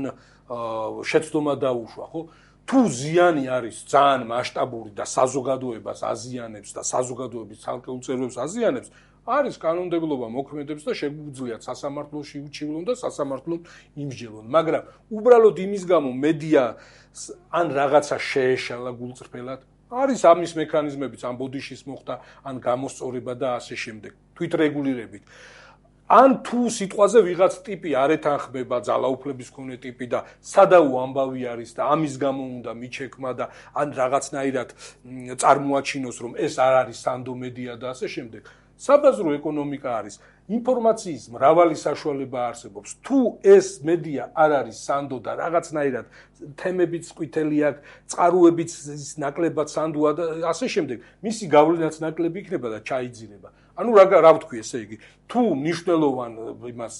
შეცდომა დაუშვა, ხო? თუ ზიანი არის ძალიან მასშტაბური და საზოგადოებას აზიანებს და საზოგადოების ცალკეულ წევრებს აზიანებს, არის კანონმდებლობა მოქმედებს და შეგვიძლიათ სასამართლოში უჩივლონ და სასამართლომ იმსჯელონ. მაგრამ უბრალოდ იმის გამო მედია ან რაღაცა შეეშალა გულწრფელად, არის ამის მექანიზმებიც, ან ბოდიშის მოხდა, ან გამოსწორება და ასე შემდეგ, თვითრეგულირებით. ან თუ სიტყვაზე ვიღაც ტიპი არ ეთანხმება ძალაუფლების მქონე ტიპი და სადაო ამბავი არის და ამის გამო უნდა მიჩექმა და ან რაღაცნაირად წარმოაჩინოს რომ ეს არ არის სანდო მედია და ასე შემდეგ. საბაზრო ეკონომიკა არის. ინფორმაციის მრავალი საშუალება არსებობს. თუ ეს მედია არ არის სანდო და რაღაცნაირად თემებიც ყვითელი აქვს, წყაროებიც ნაკლებად სანდოა და ასე შემდეგ, მისი გავლენაც ნაკლები იქნება და ჩაიძირება. ანუ რა ვთქვი ესე იგი, თუ მნიშვნელოვან იმას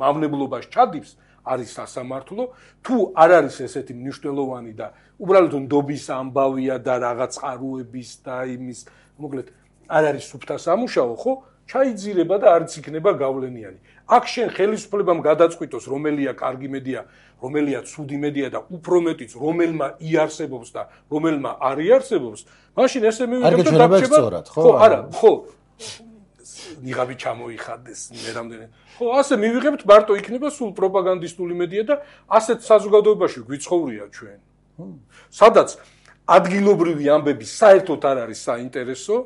მავნებლობას ჩადებს, არის სასამართლო, თუ არ არის ესეთი მნიშვნელოვანი და უბრალოდ ნდობის ამბავია და რაღაც წყაროების და იმის, მოკლედ არ არის სუფთა სამუშაო, ხო? ჩაიძირება და არც იქნება გავლენიანი. აქ შენ ხელისუფლებამ გადაწყვიტოს, რომელია კარგი მედია, რომელია ცუდი მედია და უფრო მეტიც რომელმა იარსებობს და რომელმა არ იარსებობს, მაშინ ესე მივიღებთ და დაგჭირდება. ხო, არა, ხო. ნიღაბი ჩამოიხადეს მე რამდენი. ხო, ასე მივიღებთ მარტო იქნება სულ პროპაგანდისტული მედია და ასეთ საზოგადოებაში გვიცხოვრია ჩვენ. სადაც ადგილობრივი ამბები საერთოდ არ არის საინტერესო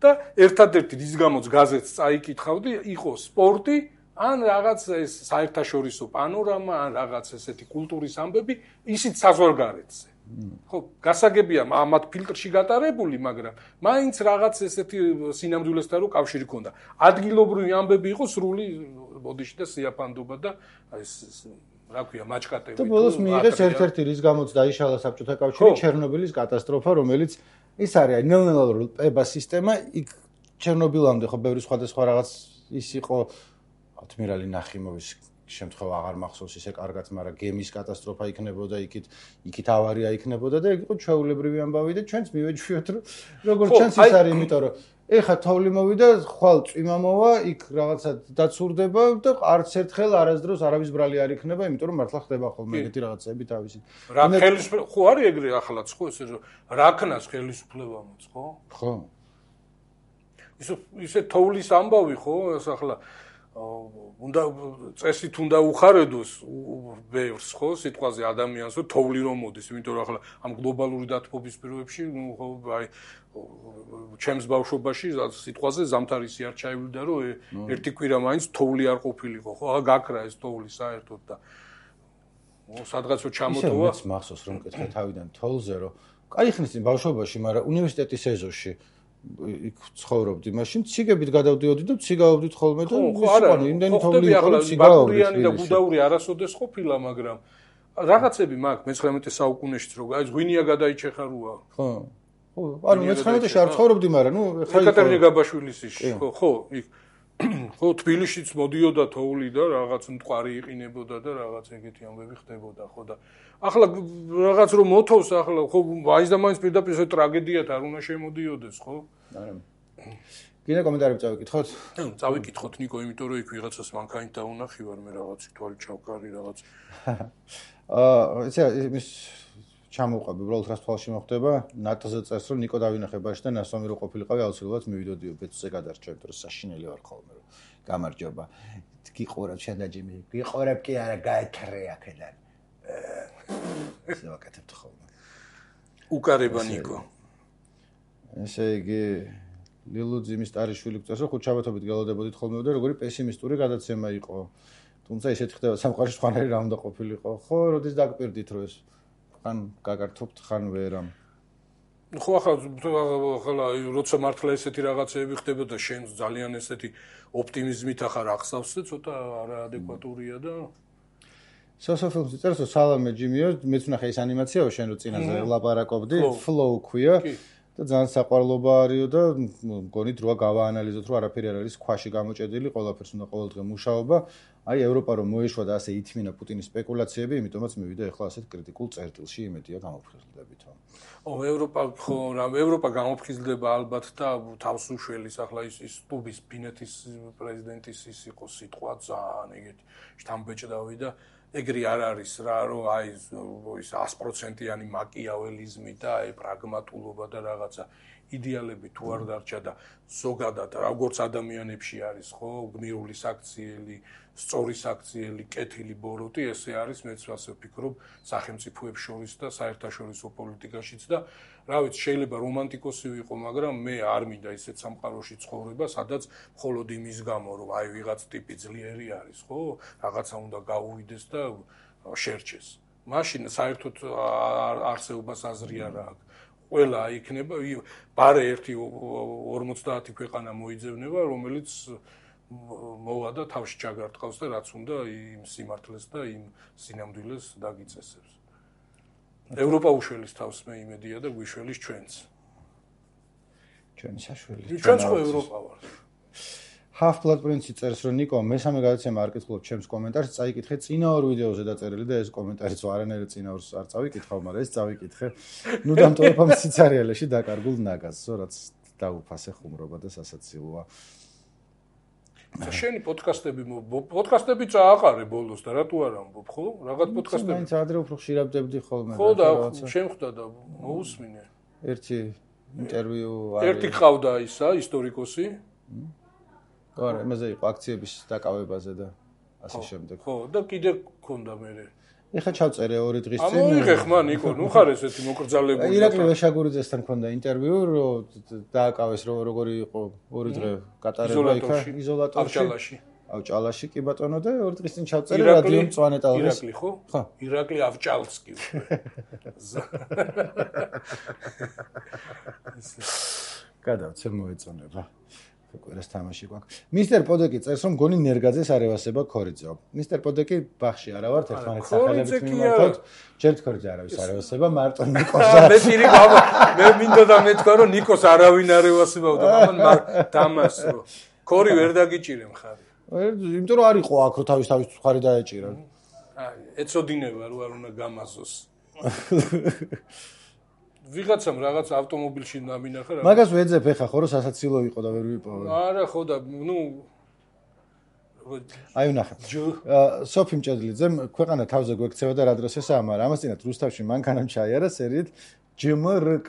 და ერთადერთი რის გამოც გაზეთს წაიკითხავდი, იყო სპორტი, ან რაღაც ეს საერთაშორისო პანორამა, ან რაღაც ესეთი კულტურის ამბები, ისიც საზღვარგარეთზე. ხო, გასაგებია ამათ ფილტრში გატარებული, მაგრამ მაინც რაღაც ესეთი სინამდვილესთან რო კავშირი ქონდა. ადგილობრივი ამბები იყო სრული ბოდიში და სიაფანდობა და ეს რა ქვია, მაჭკატები. და ბოლოს მიიღეს ერთ-ერთი რის გამოც დაიშალა საბჭოთა კავშირი, ჩერნობილის კატასტროფა, რომელიც ის არის ნელ-ნელა პება სისტემა, იქ ჩერნობილამდე ხო ბევრი სხვადასხვა რაღაც ის იყო ადმირალი ნახიმოვის შემთხვევა აღარ მახსოვს ისე კარგად, მაგრამ გემის კატასტროფა იქნებოდა, იქით ავარია იქნებოდა და იქ იყო ჩვეულებრივი ამბავი და ჩვენც მივეჩვიოთ, რომ როგორც ჩანს ის არის, იმიტომ რომ ეხა თოვლი მოვიდა, ხვალ წვიმა მოვა, იქ რაღაცა დაცურდება და არც ერთხელ არასდროს არავის ბრალი არ იქნება, იმიტომ რომ მართლა ხდება ხოლმე ეგეთი რაღაცები თავისი. რა ხელისუფლება ხო არის ეგრე ახალაც ხო ესე რომ რაკნას ხელისუფლებამაც ხო? ხო. ისე თოვლის ამბავი ხო, ეს ახლა უნდა წესით უნდა უხარედოს ბევრს ხო სიტყვაზე ადამიანს რომ თოვლი რომ მოდის, იმიტომ რომ ახლა ამ გლობალური დათბობის პირობებში ხო აი ჩემს ბავშვობაში სიტყვაზე ზამთარისი არ ჩაივიდა რომ ერთი კვირა მაინც თოვლი არ ყოფილიყო ხო აა გაქრა ეს თოვლი საერთოდ და სადღაცო ჩამოტოვა ისე მახსოვს რომ მკითხე თავიდან თოვლზე რომ კაი ხნის წინ ბავშვობაში, მაგრამ უნივერსიტეტის ეზოში იქ ცხოვრობდი, მაშინ ციგებით გადავდიოდი და ციგაობდით ხოლმე და ანუ იმდენი თოვლი იყო რომ ციგაობდი. და გუდაური არასოდეს ყოფილა, მაგრამ რაღაცები მაქვს მე-19 საუკუნეშიც რო აი ღვინია გადაიჩეხარუა. ხო. ხო, ანუ მე-19-ში არ ცხოვრობდი, მაგრამ ნუ ხა ეკატერინე გაბაშვილის ისში, ხო, იქ ხო თბილისშიც მოდიოდა თოვლი და რაღაც მტყარი იყინებოდა და რაღაც ეგეთი ამბები ხდებოდა, ხო და ახლა რაღაც რომ მოთოვს ახლა ხო მაინც და მაინც პირდაპირ ეს ტრაგედიად არ უნდა შემოდიოდეს, ხო? არა. გინდა კომენტარები წავიკითხოთ? წავიკითხოთ ნიკო, იმიტომ რომ იქ ვიღაცას მანქანით დაუნახი ვარ მე რაღაც თვალი ჩავკარი რაღაც. ესე ის ჩამოვყავ, უბრალოდ რას თვალში მოხდება, ნატოზე წერს რომ ნიკო დავინახებაში და ნასვამი რო ყოფილიყავი, აუცილებლად მივიდოდიო ბეწზე გადარჩევ, რომ საშინელი ვარ ხოლმე რომ გამარჯობა. გიყურებ შენ და ჯიმი, გიყურებ კი არა გაეთრე აქედან. ესე ვაკეთებთ ხოლმე. უკარება ნიკო. ესე იგი ლილუძიმის ტარიშვილი გწერს რომ ხუთშაბათობით გელოდებოდით ხოლმე და როგორი პესიმისტური გადაცემა იყო. თუმცა ისეთ ხდება სამყაროში სხვანაირი რა უნდა ყოფილიყო. ხო, როდის დაგპირდით რომ ეს ხან გაგართობთ, ხან ვერა. ხო, ახლა როცა მართლა ესეთი რაღაცეები ხდებოდა, შენ ძალიან ესეთი ოპტიმიზმით ახარ ახსავს და ცოტა არაადეკვატურია და სოციოფილმში წერს რომ სალამე ჯიმიო, მეც ვნახე ეს ანიმაციაო შენ რო წინაზე ვლაპარაკობდი, flow ქვია. და ძალიან საყვარლობა არისო და მგონით როა გავაანალიზოთ რომ არაფერი არ არის ქვაში გამოჭედილი, ყველაფერს უნდა ყოველდღე მუშაობა. აი ევროპა რომ მოეშვა და ასე ითმინა პუტინის სპეკულაციები, იმიტომაც მივიდა ახლა ასეთ კრიტიკულ წერტილში, იმედია გამოფხიზლდებითო. ევროპა გამოფხიზლდება ალბათ და თავს უშველის ახლა ის ტუბის ფინეთის პრეზიდენტის ის იყო სიტყვა ძალიან ეგეთი შთამბეჭდავი და ეგრე არ არის რა, რომ აი ის 100%-იანი მაკიაველიზმი და აი პრაგმატულობა და რაღაცა იდეალები თუ არ დარჩა და ზოგადად როგორც ადამიანებში არის ხო გმირული საქციელი, სწორი საქციელი, კეთილი ბოროტი, ესე არის მეც ასე ვფიქრობ სახელმწიფოებს შორის და საერთაშორისო პოლიტიკაშიც და რა ვიცი შეიძლება რომანტიკოსი ვიყო, მაგრამ მე არ მინდა ისეთ სამყაროში ცხოვრება, სადაც მხოლოდ იმის გამო რომ აი ვიღაც ტიპი ძლიერი არის, ხო? რაღაცა უნდა გაუვიდეს და შერჩეს. მაშინ საერთოდ არსებობას აზრი არ აქვს. ყველა იქნება ბარე 1-50 ქვეყანა მოიძებნება, რომელიც მოვა და თავში ჩაგარტყავს და რაც უნდა იმ სიმართლეს და იმ სინამდვილეს დაგიწესებს. ევროპა უშველის თავს მე იმედია და გვიშველის ჩვენც. ჩვენი საშველი. ჩვენც ხო ევროპა ვართ. Half-Blood Prince წერს რომ ნიკო მესამე გადაცემა არ კითხულობ ჩემს კომენტარს, წაიკითხე წინა ორ ვიდეოზე დაწერილი და ეს კომენტარიც არანაირად წინა ორს არ წავიკითხავ, მაგრამ ეს წავიკითხე. ნუ დამტოვებამ სიცარიალეში დაკარგულ ნაგაზს, რაც დაუფასე ხუმრობა და სასაცილოა. შენი პოდკასტები წააყარე ბოლოს და რატო არ ამბობ, ხო? რაღაც პოდკასტები. მაინც ადრე უფრო ხშირავდებდი ხოლმე. ხო და შემხვდა და მოусმინე. ერთი ინტერვიუ ერთი ყავდა ისა ისტორიკოსი. არა, იმაზე იყო აქციების დაკავებაზე და ასე შემდეგ. ხო, და კიდე გქონდა მე. ეხა ჩავწერე 2 დღის წინ. ამოიღე ხმა ნიკო, ნუ ხარ ესეთი მოკრძალებული. ირაკლი ვეშაგურიძესთან მქონდა ინტერვიუ, რომ დააკავეს როგორი იყო 2 დღე გატარება იქა იზოლატორში. ავჭალაში კი ბატონო და 2 დღის წინ ჩავწერე რადიო მწვანე ტალღის. ირაკლი ხო? ხო. ირაკლი ავჭალსკი. გადავცე მოეწონება. კვირას თამაში გვაქვს. მისტერ პოდეკი წერს რომ გონი ნერგაძეს არ ევასება ქორიძე. მისტერ პოდეკი ბახში არა ვართ ერთმანეთს სახელებით მიმართავთ. ჯერ ქორიძე არავის არ ევასება, მარტო ნიკოს. მე პირი გავა, მე მინდა და მეთქვა რომ ნიკოს არავინ არ ევასებაო და მამან დამასრო. ქორი ვერ დაგიჭირე მხარი. იმიტომ რომ არ იყო აქ რომ თავის მხარი დაეჭირა. აი, ეწოდინება რომ არ უნდა გამაზოს. ვიღაცამ რაღაც ავტომობილში დამინახა რა. მაგას ვეძებ ეხა ხო რომ სასაცილო იყო და ვერ ვიპოვე. არა ხო და ნუ აი ვნახე. სოფი მჭედლიძემ ქვეყანა თავზე გვექცევა და რა დროს ესაა, მაგრამ ამასთანავე რუსთავში მანქანამ ჩაიარა სერიით ჯმრკ.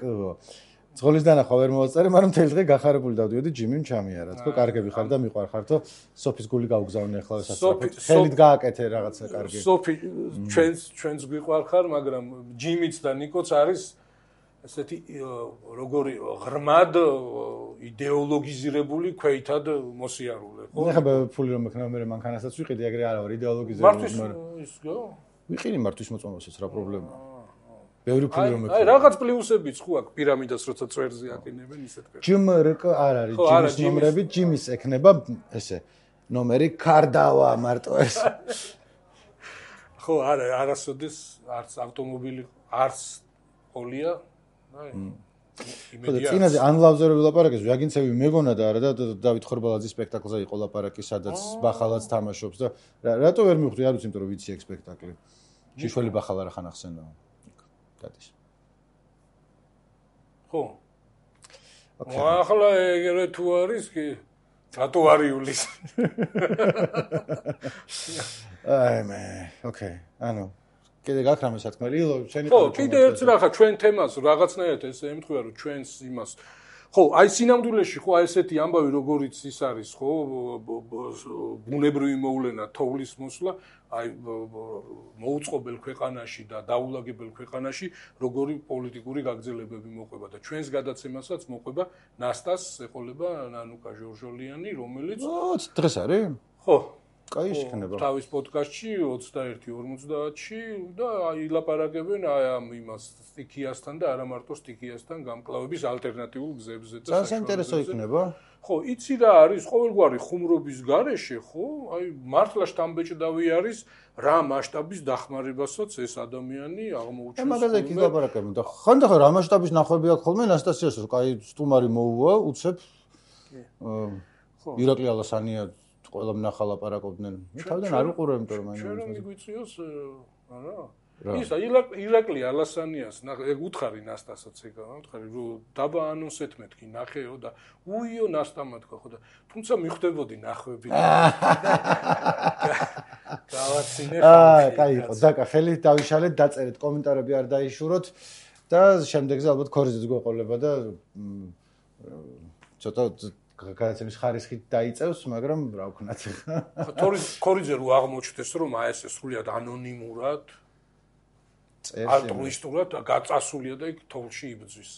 ძღოლის დანახვა ვერ მოვაწერე, მაგრამ მთელი დღე გახარებული დავდიოდი ჯიმიმ ჩამიარა. თქო კარგები ხარ და მიყვარხარ თო სოფის გული გავგზავნე ახლა სასწრაფოდ. ხელით გააკეთე რაღაცა კარგი. სოფი ჩვენს გვიყვარხარ, მაგრამ ჯიმიც და ნიკოც არის ესეთი როგორი ღრმად იდეოლოგიზირებული ქვეითად მოსიარულე, ხო? ნახე ფული რომ მექნა მე მანქანასაც ვიყიდი, ეგრე არა ვარ იდეოლოგიზირებული, მაგრამ ისგო? ვიყინი მართვის მოწმობასაც რა პრობლემაა? ბევრი ფული რომ მექნა. აი რაღაც პლუსებიც ხო აქვს პირამიდას როცა წვერზე აკინებენ ისეთ კეთილ. ჯმრკ არ არის, ჯიმის ნომრები, ჯიმის ექნება ესე ნომერი კარდავა მარტო ეს. ხო, არა, არასოდეს არც ავტომობილი, არც პოლია იმედია. წინაზე ანლავზე რო ვილაპარაკეს, ვაგინცევი მეგონა და არა და დავით ხორბალაძის სპექტაკლზე იყო ლაპარაკი, სადაც ბახალაც თამაშობს და რატო ვერ მივხვდი, არ ვიცი, იმიტომ რომ ვიცი ეგ სპექტაკლი. შიშველი ბახალა რა ხან ახსენდა. გადის. ხო. ახლა ეგრე თუ არის კი რატო არ იulis? აი მე, ოკეი. ანუ კიდე გაქრამე სათქმელი, შენი ხო, კიდე ერთ რახა ჩვენ თემას რაღაცნაირად ესე ემთხვია რომ ჩვენს იმას ხო, აი სინამდვილეში ხო აი ესეთი ამბავი როგორიც ის არის ხო, ბუნებრივი მოვლენა თოვლის მოსვლა, აი მოუწყობელ ქვეყანაში და დაულაგებელ ქვეყანაში როგორი პოლიტიკური გაგრძელებები მოყვება და ჩვენს გადაცემასაც მოყვება ნასტას ეყოლება ნანუკა ჟორჟოლიანი, რომელიც დღეს არის? ხო კაი შეხნება. თავის პოდკასტში 21:50-ში და ილაპარაკებენ აი ამ იმას სტიქიასთან და არა მარტო სტიქიასთან გამკლავების ალტერნატიულ გზებზე და საინტერესო იქნება. ხო, იცი რა არის ყოველგვარი ხუმრობის გარეშე, ხო? აი მართლა შთამბეჭდავი არის რა მასშტაბის დახმარებასაც ეს ადამიანი აღმოუჩენს. მაგაზე კი ლაპარაკებენ და ხანდახან რა მასშტაბის ნახვები აქვს ხოლმე ნასტასიას, რომ კაი სტუმარი მოუვა, უცებ ირაკლი ალასანია ყველა მნახა ლაპარაკობდნენ. მე თავიდან არ უყურებ, იმიტომ რომ მაინც ჩვენ რომ მიგვიწიოს არა. ისა ირაკლი ალასანიას ეგ უთხარი ნასტასაც ეგა, უთხარი რომ დაბა ანონსეთ მეთქი ნახეო და უიო ნასტამა თქვა ხო და თუმცა მიხვდებოდი ნახვები. გავაცინე კაი იყო, დაკა ხელით დავიშალეთ, დაწერეთ, კომენტარები არ დაიშუროთ და შემდეგზე ალბათ ქორიზეც გვეყოლება და ცოტა გადაცემის ხარისხით დაიწევს, მაგრამ რა ვქნათ ახლა. ქორიძე რო აღმოჩნდეს, რომ აი ეს სრულიად ანონიმურად ალტრუისტულად გაწასულია და იქ თოლში იბძვის.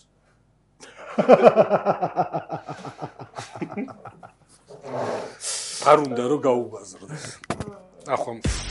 არ უნდა რომ გაუბაზრდეს. ახლა